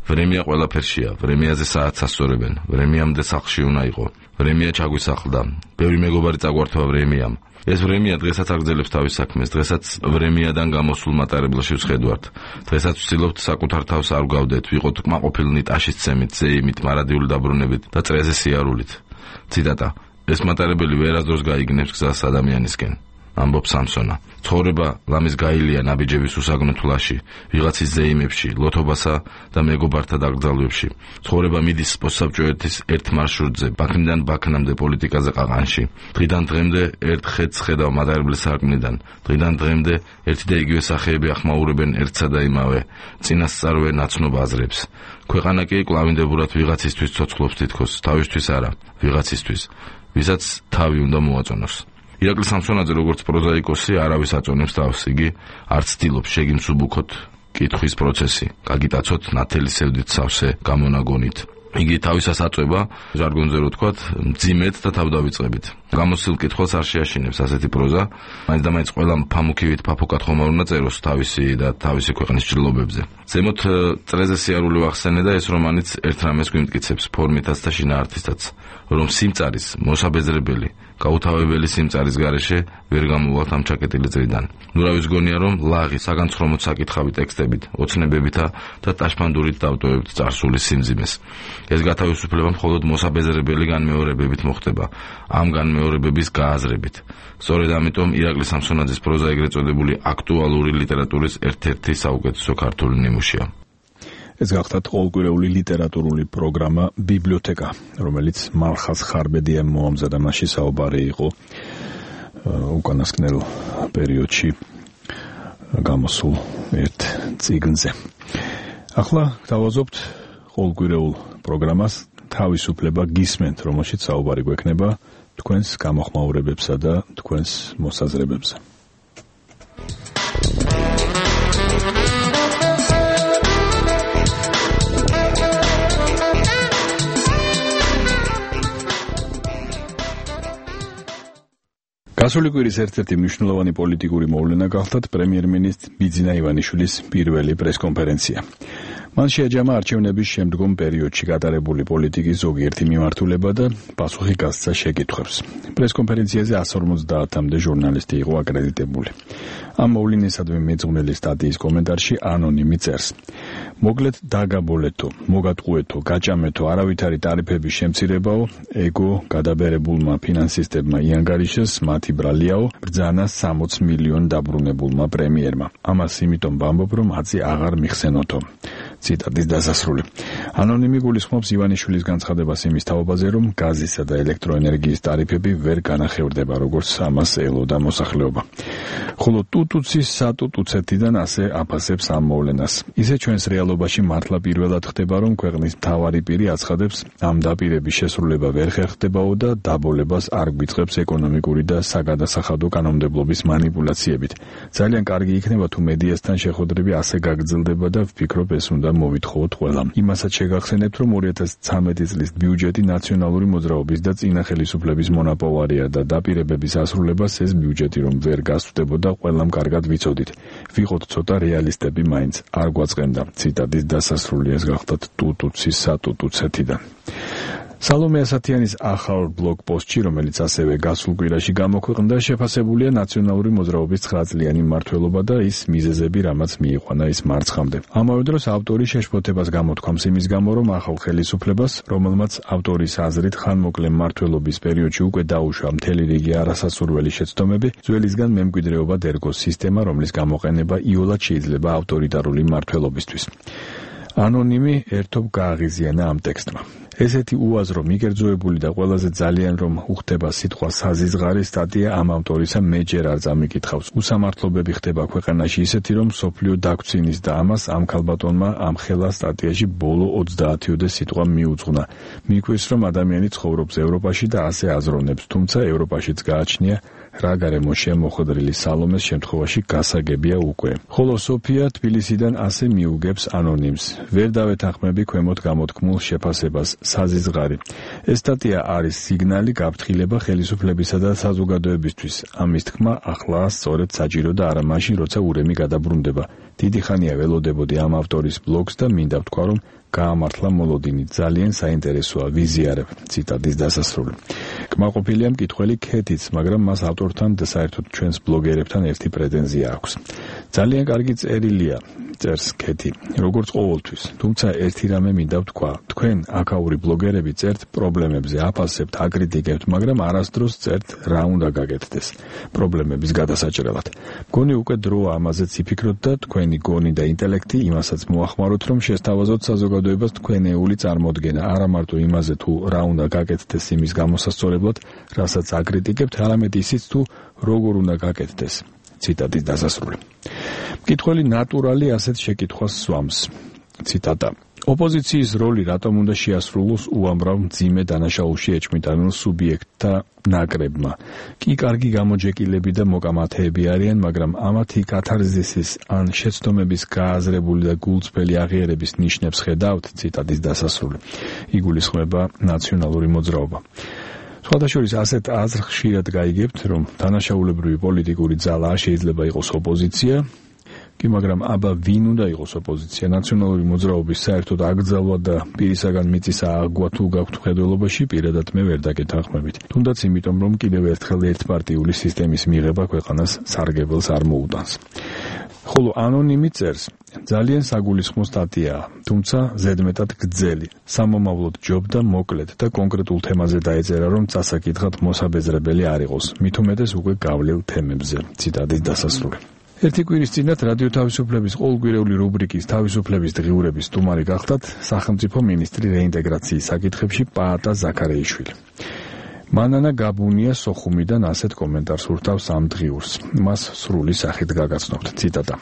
ვრემია ყველაფერშია, ვრემიაზე საათს ასწორებენ, ვრემიამდე სახლში უნდა იყო. ვრემია ჩაგვისახლდა. ბევრი მეგობარი წაგვართვა ვრემიამ. ეს ვრემია დღესაც აგრძელებს თავის საქმეს, დღესაც ვრემიადან გამოსულ მატარებლში ვსხედვართ. დღესაც ვცდილობთ საკუთარ თავს არ ვგავდეთ, ვიყოთ კმაყოფილნი ტაშის ცემით, ზეიმით, მარადიული დაბრუნებით და წრეზე სიარულით. ციტატა: ეს მატარებელი ვერასდროს გაიგნებს გზას ადამიანისკენ. ამბობს სამსონა. ცხოვრება ლამის გაილია ნაბიჯების უსაგნო თვლაში, ვიღაცის ზეიმებში, ლოთობასა და მეგობართა დაკრძალვებში. ცხოვრება მიდის პოსტსაბჭოეთის ერთ მარშრუტზე, ბაქნიდან ბაქნამდე პოლიტიკაზე ყაყანში. დღიდან დღემდე ერთ ხედს ხედავ მატარებლის სარკმლიდან. დღიდან დღემდე ერთი და იგივე სახეები ახმაურებენ ერთსა და იმავე, წინასწარვე ნაცნობ აზრებს. ქვეყანა კი კლავინდებურად ვიღაცისთვის ცოცხლობს თითქოს, თავისთვის არა, ვიღაცისთვის, ვისაც თავი უნდა მოაწონოს. ირაკლი სამსონაძე როგორც პროზაიკოსი არავის აწონებს თავს, იგი არც ცდილობს შეგიმსუბუქოთ კითხვის პროცესი, გაგიტაცოთ ნათელი სევდით სავსე გამონაგონით. იგი თავისას აწვება, ჟარგონზე რო ვთქვათ, მძიმედ და თავდავიწყებით. გამოსილ კითხვას არ შეაშინებს ასეთი პროზა, მაინც და მაინც ყველა ფამუქივით ფაფუკად ხომ არ უნდა წეროს თავისი და თავისი ქვეყნის ჭრილობებზე. ზემოთ წრეზე სიარული ვახსენე და ეს რომანიც ერთ რამეს გვიმტკიცებს, ფორმითაც და შინაარსითაც, რომ სიმწარის მოსაბეზრებელი, გაუთავებელი სიმწარის გარეშე ვერ გამოვალთ ამ ჩაკეტილი წრიდან. ნურავის გონია, რომ ლაღი, საგანცხრომოდ საკითხავი ტექსტებით, ოცნებებითა და ტაშფანდურით დავტოვებთ წარსული სიმძიმეს. ეს გათავისუფლება მხოლოდ მოსაბეზრებელი განმეორებებით მოხდება, ამ განმეორებების გააზრებით. სწორედ ამიტომ ირაკლი სამსონაძის პროზა ეგრეთ წოდებული აქტუალური ლიტერატურის ერთ-ერთი საუკეთესო ქართული ნიმუშია. ეს გახდათ ყოველკვირეული ლიტერატურული პროგრამა ბიბლიოთეკა, რომელიც მალხაზ ხარბედიამ მოამზადა, მასში საუბარი იყო უკანასკნელ პერიოდში გამოსულ ერთ წიგნზე. ახლა დავაზობთ ყოველკვირეულ პროგრამას თავისუფლება გისმენთ, რომელშიც საუბარი გვექნება თქვენს გამოხმაურებებსა და თქვენს მოსაზრებებზე. გასული კვირის ერთ-ერთი მნიშვნელოვანი პოლიტიკური მოვლენა გახლდათ პრემიერ-მინისტრ ბიძინა ივანიშვილის პირველი პრესკონფერენცია. მან შეაჯამა არჩევნების შემდგომ პერიოდში გატარებული პოლიტიკის ზოგიერთი მიმართულება და პასუხი გასცა შეკითხვებს. პრესკონფერენციაზე εκατს ორმოცდაათამდე ჟურნალისტი იყო აკრედიტებული. ამ მოვლენისადმი მეძღვნილი სტატიის კომენტარში ანონიმი წერს: მოკლედ დაგაბოლეთო, მოგატყუეთო, გაჭამეთო, არავითარი ტარიფების შემცირებაო, ეგო გადაბერებულმა ფინანსისტებმა იანგარიშეს, მათი ბრალიაო, ბრძანა სამოც მილიონ დაბრუნებულმა პრემიერმა. ამას იმიტომ ვამბობ, რომ აცი აღარ მიხსენოთო. ციტატის დასასრული. ანონიმი გულისხმობს ივანიშვილის განცხადებას იმის თაობაზე, რომ გაზისა და ელექტროენერგიის ტარიფები ვერ განახევრდება, როგორც ამას ელოდა მოსახლეობა. ხოლო ტუტუცის სატუტუცეთიდან ასე აფასებს ამ მოვლენას. ისე ჩვენს რეალობაში მართლა პირველად ხდება, რომ ქვეყნის მთავარი პირი აცხადებს, ამ დაპირების შესრულება ვერ ხერხდებაო და დაბოლებას არ გვიწყებს ეკონომიკური და საგადასახადო კანონმდებლობის манипуляციებით. ძალიან კარგი იქნება თუ მედიასთან შეხვედრები ასე გაგრძელდება და ვფიქრობ ეს უნდა მოვითხოვოთ ყველამ. იმასაც შეგახსენებთ, რომ ორი ათას ცხრამეტი წლის ბიუჯეტი ნაციონალური მოძრაობის და წინა ხელისუფლების მონაპოვარია და დაპირებების ასრულებას ეს ბიუჯეტი რომ ვერ გასწდებოდა, ყველამ კარგად ვიცოდით. ვიყოთ ცოტა რეალისტები მაინც არ გვაწყენდა. ციტატის დასასრული ეს გახლდათ ტუტუცის სატუტუცეთიდან. სალომე ასათიანის ახალ ბლოგ პოსტში, რომელიც ასევე გასულ კვირაში გამოქვეყნდა, შეფასებულია ნაციონალური მოძრაობის ცხრაწლიანი მმართველობა და ის მიზეზები, რამაც მიიყვანა ის მარცხამდე. ამავე დროს ავტორი შეშფოთებას გამოთქვამს იმის გამო, რომ ახალ ხელისუფლებას, რომელმაც ავტორის აზრით ხანმოკლე მმართველობის პერიოდში უკვე დაუშვა მთელი რიგი არასასურველი შეცდომები, ძველისგან მემკვიდრეობა ერგოს სისტემა, რომლის გამოყენება იოლად შეიძლება ავტორიტარული მმართველობისთვის. ანონიმი ერთობ გააღიზიანა ამ ტექსტმა. ესეთი უაზრო, მიგერძოებული და ყველაზე ძალიან რომ უხდება სიტყვა საზიზღარი სტატია ამ ავტორისა მე ჯერ არ წამიკითხავს. უსამართლობები ხდება ქვეყანაში ისეთი, რომ სოფლიო დაგწინის და ამას ამ ქალბატონმა ამ ხელა სტატიაში ბოლო ოცდაათიოდე სიტყვა მიუძღვნა. მიგვეს რომ ადამიანი ცხოვრობს ევროპაში და ასე აზროვნებს, თუმცა ევროპაშიც გააჩნია რა გარემოშია მოხვედრილი სალომეს შემთხვევაში გასაგებია უკვე. ხოლო სოფია თბილისიდან ასე მიუგებს ანონიმს. ვერ დავეთანხმები ქვემოთ გამოთქმულ შეფასებას საზიზღარი. ეს სტატია არის სიგნალი გაფრთხილება ხელისუფლებისა და საზოგადოებისთვის. ამის თქმა ახლა სწორედ საჭირო და არა მაშინ, როცა ურემი გადაბრუნდება. დიდი ხანია ველოდებოდი ამ ავტორის ბლოგს და მინდა ვთქვა, რომ გაამართლა მოლოდინი, ძალიან საინტერესოა, ვიზიარებ. ციტატის დასასრული. კმაყოფილია მკითხველი ქეთიც, მაგრამ მას ავტორთან და საერთოდ ჩვენს ბლოგერებთან ერთი პრეტენზია აქვს. ძალიან კარგი წერილია, წერს ქეთი, როგორც ყოველთვის. თუმცა ერთი რამე მინდა ვთქვა, თქვენ აქაური ბლოგერები წერთ პრობლემებზე, აფასებთ, აკრიტიკებთ, მაგრამ არასდროს წერთ რა უნდა გაკეთდეს პრობლემების გადასაჭრელად. მგონი უკვე დროა ამაზეც იფიქროთ და თქვენი გონი და ინტელექტი იმასაც მოახმაროთ, რომ შესთავაზოთ საზოგადოებას თქვენეული წარმოდგენა, არა მარტო იმაზე თუ რა უნდა გაკეთდეს იმის გამოსასწორებლად, რასაც აკრიტიკებთ, არამედ ისიც თუ როგორ უნდა გაკეთდეს. ციტატის დასასრული. მკითხველი ნატურალი ასეთ შეკითხვას სვამს. ციტატა. ოპოზიციის როლი რატომ უნდა შეასრულოს უამრავ მძიმე დანაშაულში ეჭვმიტანილ სუბიექტთა ნაკრებმა? კი კარგი გამოჯეკილები და მოკამათეები არიან, მაგრამ ამათი კათარზისის ან შეცდომების გააზრებული და გულწრფელი აღიარების ნიშნებს ხედავთ. ციტატის დასასრული. იგულისხმება ნაციონალური მოძრაობა. სხვადასხვა ასეთ აზრ ხშირად გაიგებთ, რომ დანაშაულებრივი პოლიტიკური ძალა შეიძლება იყოს ოპოზიცია, კი მაგრამ აბა ვინ უნდა იყოს ოპოზიცია? ნაციონალური მოძრაობის საერთოდ აკრძალვა და პირისაგან მიწის აღგვა თუ გაქვთ მხედველობაში, პირადად მე ვერ დაგეთანხმებით. თუნდაც იმიტომ, რომ კიდევ ერთხელ ერთპარტიული სისტემის მიღება ქვეყანას სარგებელს არ მოუტანს. ხოლო ანონიმი წერს, ძალიან საგულისხმო სტატიაა, თუმცა ზედმეტად გრძელი. სამომავლოდ ჯობდა მოკლედ და კონკრეტულ თემაზე დაეწერა, რომ წასაკითხად მოსაბეზრებელი არ იყოს, მით უმეტეს უკვე გავლილ თემებზე. ციტატის დასასრული. ერთი კვირის წინათ რადიო თავისუფლების ყოველკვირეული რუბრიკის თავისუფლების დღიურების სტუმარი გახდათ სახელმწიფო მინისტრი რეინტეგრაციის საკითხებში პაატა ზაქარეიშვილი. მანანა გაბუნია სოხუმიდან ასეთ კომენტარს ურთავს ამ დღიურს. მას სრული სახით გაგაცნობთ. ციტატა.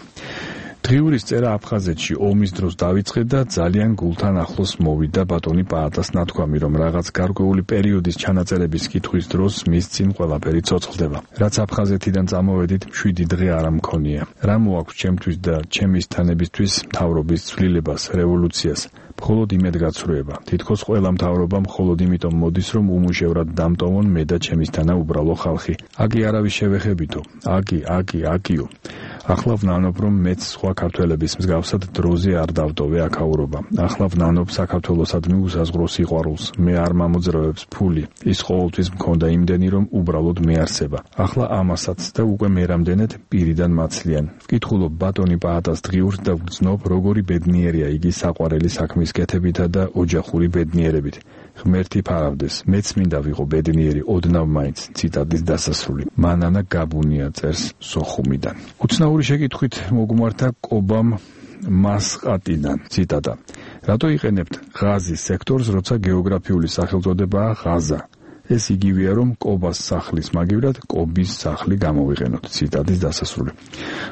დღიურის წერა აფხაზეთში ომის დროს დავიწყე და ძალიან გულთან ახლოს მოვიდა ბატონი პაატას ნათქვამი, რომ რაღაც გარკვეული პერიოდის ჩანაწერების კითხვის დროს მის წინ ყველაფერი ცოცხლდება. რაც აფხაზეთიდან წამოვედით, შვიდი დღე არ მქონია. რა მოაქვს ჩემთვის და ჩემის თანებისთვის მთავრობის ცვლილებას, რევოლუციას? მხოლოდ იმედგაცრუება. თითქოს ყველა მთავრობა მხოლოდ იმიტომ მოდის, რომ უმუშევრად დამტოვონ მე და ჩემისთანა უბრალო ხალხი. აგი არავის შევეხებითო. აგი, აგი, აგიო. ახლა ვნანობ, რომ მეც სხვა ქართველების მსგავსად დროზე არ დავტოვე აქაურობა. ახლა ვნანობ საქართველოსადმი უსაზღრო სიყვარულს. მე არ მამოძრავებს ფული. ის ყოველთვის მქონდა იმდენი, რომ უბრალოდ მეარსება. ახლა ამასაც და უკვე მერამდენეთ პირიდან მაცლიან. ვკითხულობ ბატონი პაატას დღიურს და ვგრძნობ, როგორი ბედნიერია იგი საყვარელი საქმის კეთებითა და ოჯახური ბედნიერებით. ღმერთი ფარავდეს, მეც მინდა ვიყო ბედნიერი ოდნავ მაინც. ციტატის დასასრული. მანანა გაბუნია წერს სოხუმიდან. უცნაური შეკითხვით მოგმართა კობამ მასყატიდან. ციტატა. რატო იყენებთ ღაზის სექტორს, როცა გეოგრაფიული სახელწოდებაა ღაზა? ეს იგივეა, რომ კობას სახლის მაგივრად კობის სახლი გამოვიყენოთ. ციტატის დასასრული.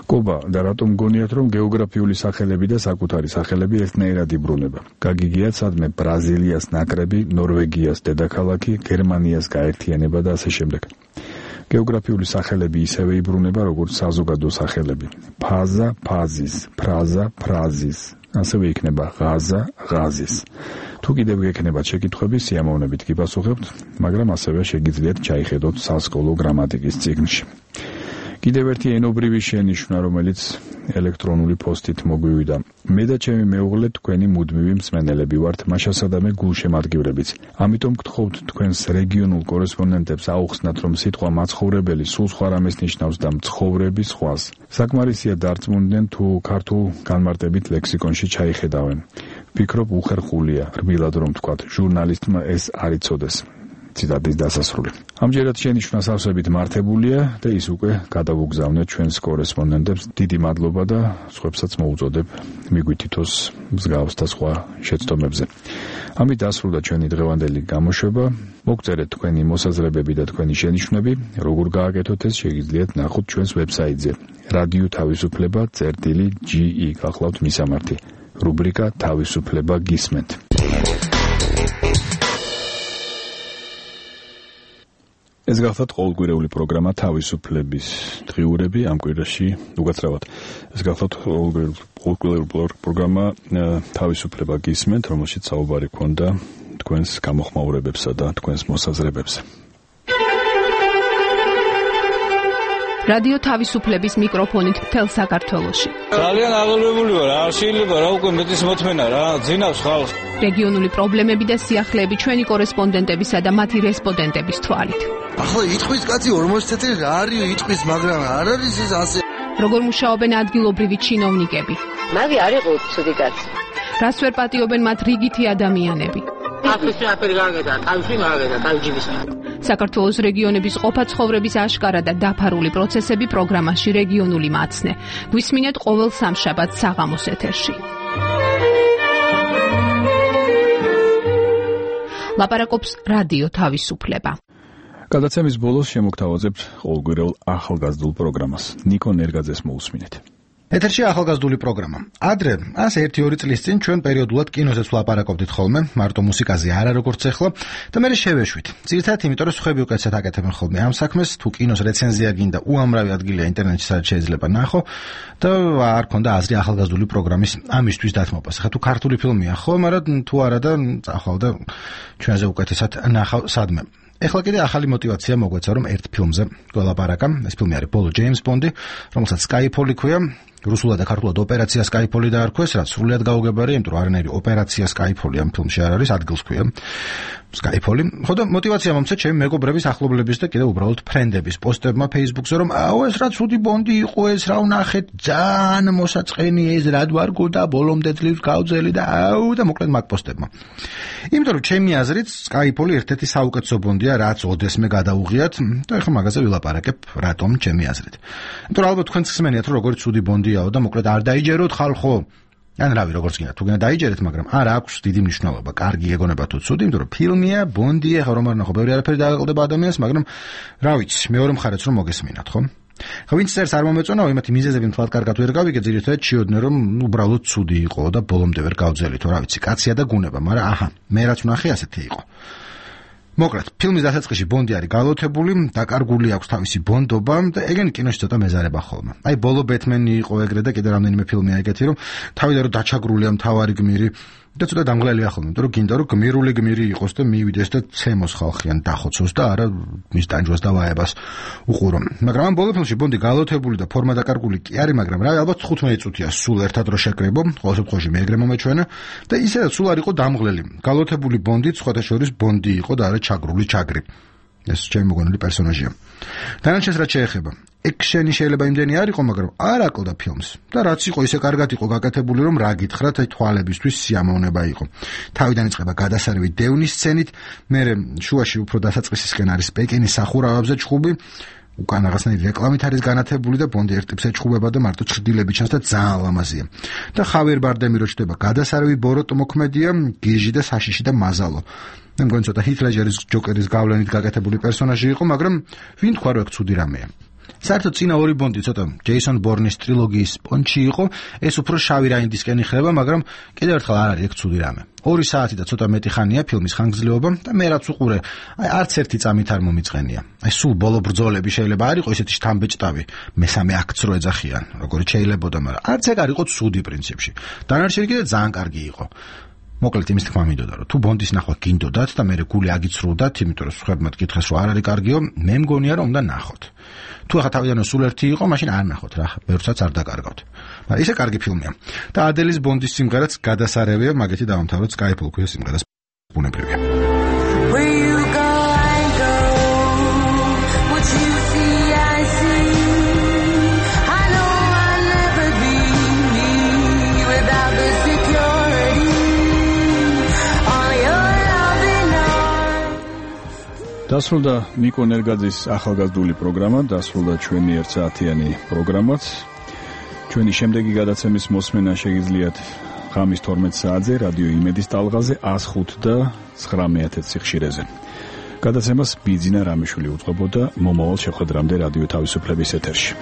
კობა და რატომ გონიათ, რომ გეოგრაფიული სახელები და საკუთარი სახელები ერთნაირად იბრუნება? გაგიგიათ სადმე ბრაზილიას ნაკრები, ნორვეგიას დედაქალაქი, გერმანიას გაერთიანება და ასე შემდეგ. გეოგრაფიული სახელები ისევე იბრუნება, როგორც საზოგადო სახელები. ფაზა, ფაზის, ფრაზა, ფრაზის. ასევე იქნება ღაზა, ღაზის. თუ კიდევ გექნებათ შეკითხვები, სიამოვნებით გიპასუხებთ, მაგრამ ასევე შეგიძლიათ ჩაიხედოთ სასკოლო გრამატიკის წიგნში. კიდევ ერთი ენობრივი შენიშვნა, რომელიც ელექტრონული პოსტით მოგვივიდა. მე და ჩემი მეუღლე თქვენი მუდმივი მსმენელები ვართ, მაშასადამე გულშემატკივრებიც. ამიტომ გთხოვთ თქვენს რეგიონულ კორესპონდენტებს აუხსნათ, რომ სიტყვა მაცხოვრებელი სულ სხვა რამეს ნიშნავს და მცხოვრები სხვას. საკმარისია დარწმუნდნენ, თუ ქართულ განმარტებით ლექსიკონში ჩაიხედავენ. ვფიქრობ, უხერხულია, რბილად რომ ვთქვათ, ჟურნალისტმა ეს არ იცოდეს. ციტატის დასასრული. ამჯერად შენიშვნა სავსებით მართებულია და ის უკვე გადავუგზავნეთ ჩვენს კორესპონდენტებს. დიდი მადლობა და სხვებსაც მოუწოდებ მიგვითითოს მსგავს და სხვა შეცდომებზე. ამით დასრულდა ჩვენი დღევანდელი გამოშვება. მოგწერეთ თქვენი მოსაზრებები და თქვენი შენიშვნები. როგორ გააკეთოთ ეს შეგიძლიათ ნახოთ ჩვენს ვებსაიტზე რადიო თავისუფლება წერტილი ჯი ი გახლავთ მისამართი. რუბრიკა თავისუფლება გისმენთ. ეს გახლავთ ყოველკვირეული პროგრამა თავისუფლების დღიურები ამ კვირაში უკაცრავად. ეს გახლავთ ყოველკვირეული პროგრამა თავისუფლება გისმენთ, რომელშიც საუბარი ქონდა თქვენს გამოხმაურებებსა და თქვენს მოსაზრებებზე. რადიო თავისუფლების მიკროფონით მთელ საქართველოში. ძალიან აღელვებული ვარ, არ შეიძლება რა უკვე მეტის მოთმენა რა, ძინავს ხალხს. რეგიონული პრობლემები და სიახლეები ჩვენი კორესპონდენტებისა და მათი რესპონდენტების თვალით. ახლა იტყვის კაცი ორმოცი წელი რა არის იტყვის, მაგრამ არ არის ეს ასე. როგორ მუშაობენ ადგილობრივი ჩინოვნიკები? მაგი არ იყო ცუდი კაცი. რას ვერ პატიობენ მათ რიგითი ადამიანები? აფრიკაში აფერი გაგედა, თავში მაგედა, თავჯიბის. საქართველოს რეგიონების ყოფა ცხოვრების აშკარა და დაფარული პროცესები პროგრამაში რეგიონული მაცნე. გვისმინეთ ყოველ სამშაბათს საღამოს ეთერში. ლაპარაკობს რადიო თავისუფლება. გადაცემის ბოლოს შემოგთავაზებთ ყოველკვირეულ ახალგაზრდულ პროგრამას. ნიკო ნერგაძეს მოусმინეთ. ეთერში ახალგაზრდული პროგრამა. ადრე, ასე ერთი ორი წლის წინ ჩვენ პერიოდულად კინოზეც ვლაპარაკობდით ხოლმე, მარტო მუსიკაზე არა როგორც ახლა და მე შევეშვით. ძირითადად იმიტომ, რომ სხვები უკეთესად აკეთებენ ხოლმე ამ საქმეს, თუ კინოს რეცენზია გინდა, უამრავი ადგილია ინტერნეტში სადაც შეიძლება ნახო და არ ქონდა აზრი ახალგაზრდული პროგრამის ამისთვის დათმობას. ხა თუ ქართული ფილმია ხო, მაგრამ თუ არა და წახვალ და ჩვენზე უკეთესად ნახავ სადმე. ეხლა კიდე ახალი мотиваცია მოგვეცა, რომ ერთ ფილმზე გველაპარაკა. ეს ფილმი არის ბოლო ჯეიმს ბონდი, რომელსაც Skyfall ქვია. რუსულად და ქართულად ოპერაცია Skyfall დაარქვეს, რაც სრულიად გაუგებარია, იმიტომ რომ არანაირი ოპერაცია Skyfall ამ ფილმში არ არის, ადგილს ქვია Skyfall. ხოდა мотиваცია მომცა ჩემი მეგობრების, ახლობლების და კიდე უბრალოდ ფრენდების პოსტებმა Facebook-ზე, რომ აუ ეს რა ცუდი ბონდი იყო, ეს რა ვნახეთ, ძალიან მოსაწყენი ეს რა დვარგო და ბოლომდე ძლივს გავძელი და აუ და მოკლედ მაგ პოსტებმა. იმიტომ რომ ჩემი აზრით Skyfall ერთ-ერთი საუკეთესო ბონდია, რაც ოდესმე გადაუღიათ და ეხლა მაგაზე ვილაპარაკებ, რატომ ჩემი აზრით. იმიტომ რომ ალბათ თქვენც ხსმენიათ, რომ როგორი ცუდი ბონდიაო და მოკლედ არ დაიჯეროთ ხალხო. ან რავი, როგორც გინდა, თუ გინდა დაიჯერეთ, მაგრამ არ აქვს დიდი მნიშვნელობა. კარგი ეგონება თუ ცუდი, იმიტომ რომ ფილმია, ბონდია, ხა რომ არ ნახო, ბევრი არაფერი დააყალდება ადამიანს, მაგრამ რა ვიცი, მეორე მხარეც რომ მოგესმინათ, ხო? ხა ვინც წერს არ მომეწონაო, იმათი მიზეზები მთლად კარგად ვერ გავიგე, ძირითადად ჩიოდნენ, რომ უბრალოდ ცუდი იყო და ბოლომდე ვერ გავძელითო, რა ვიცი, კაცია და გუნება, მაგრამ აჰა, მე რაც ვნახე ასეთი იყო. მოკლედ, ფილმის დასაწყისში ბონდი არის გალოთებული, დაკარგული აქვს თავისი ბონდობა და ეგენი კინოში ცოტა მეზარება ხოლმე. აი, ბოლო ბეთმენი იყო ეგრე და კიდე რამდენიმე ფილმია ეგეთი, რომ თავიდან რომ დაჩაგრულია მთავარი გმირი და ცოტა დამღლელია ხოლმე, იმიტომ რომ გინდა რომ გმირული გმირი იყოს და მივიდეს და ცემოს ხალხიან დახოცოს და არა მის ტანჯვას და ვაებას უყურო. მაგრამ ამ ბოლო ფილმში ბონდი გალოთებული და ფორმა დაკარგული კი არის, მაგრამ რა ალბათ თხუთმეტი წუთია სულ ერთად რო შეკრებო, ყოველ შემთხვევაში მე ეგრე მომეჩვენა და ისედაც სულ არ იყო დამღლელი. გალოთებული ბონდი სხვათა შორის ბონდი იყო და არა ჩაგრული ჩაგრი. ეს ჩემი მოგონილი პერსონაჟია. დანარჩენს რაც შეეხება, ექშენი შეიძლება იმდენი არ იყო, მაგრამ არ აკლდა ფილმს. და რაც იყო, ისე კარგად იყო გაკეთებული, რომ რა გითხრათ, აი თვალებისთვის სიამოვნება იყო. თავიდან იწყება გადასარევი დევნის სცენით, მერე შუაში უფრო დასაწყისისკენ არის პეკინის სახურავებზე ჩხუბი უკან რაღაცნაირი რეკლამით არის განათებული და ბონდი ერთ ტიპს ეჭხუბება და მარტო ჩრდილები ჩანს და ძალიან ლამაზია. და ხავიერ ბარდემი რო ჩდება გადასარევი ბოროტ მოქმედია, გიჟი და საშიში და მაზალო. მე მგონი ცოტა ჰით ლეჯერის ჯოკერის გავლენით გაკეთებული პერსონაჟი იყო, მაგრამ ვინ თქვა რომ ეგ ცუდი რამეა. საერთოდ წინა ორი ბონდი ცოტა ჯეისონ ბორნის ტრილოგიის პონჩი იყო, ეს უფრო შავი რაინდისკენ იხება, მაგრამ კიდევ ერთხელ არ არის ეგ ცუდი რამე. ორი საათი და ცოტა მეტი ხანია ფილმის ხანგრძლივობა და მე რაც უყურე, აი არც ერთი წამით არ მომიწყენია. აი სულ ბოლო ბრძოლები შეიძლება არ იყოს ესეთი შთამბეჭდავი, მესამე აქტს რო ეძახიან, როგორიც შეიძლებოდა, მაგრამ არც ეგ არ იყო ცუდი პრინციპში. დანარჩენი კიდე ძალიან კარგი იყო. მოკლედ იმის თქმა მინდოდა, რომ თუ ბონდის ნახვა გინდოდათ და მე გული აგიცრუდათ, იმიტომ რომ სხვებმა გითხეს რომ არ არის კარგიო, მე მგონია რომ უნდა ნახოთ. თუ ახლა თავიდანვე სულ ერთი იყო, მაშინ არ ნახოთ რა, ბევრსაც არ დაკარგავთ. მაგრამ ისე კარგი ფილმია. და ადელის ბონდის სიმღერაც გადასარევია, მაგეთი დავამთავროთ Skyfall ქვია სიმღერას ბუნებრივია. დასრულდა ნიკო ნერგაძის ახალგაზრდული პროგრამა, დასრულდა ჩვენი ერთ საათიანი პროგრამაც. ჩვენი შემდეგი გადაცემის მოსმენა შეგიძლიათ ღამის თორმეტ საათზე რადიო იმედის ტალღაზე one oh five და nine thousand სიხშირეზე. გადაცემას ბიძინა რამიშვილი უწყობოდა მომავალ შეხვედრამდე რადიო თავისუფლების ეთერში.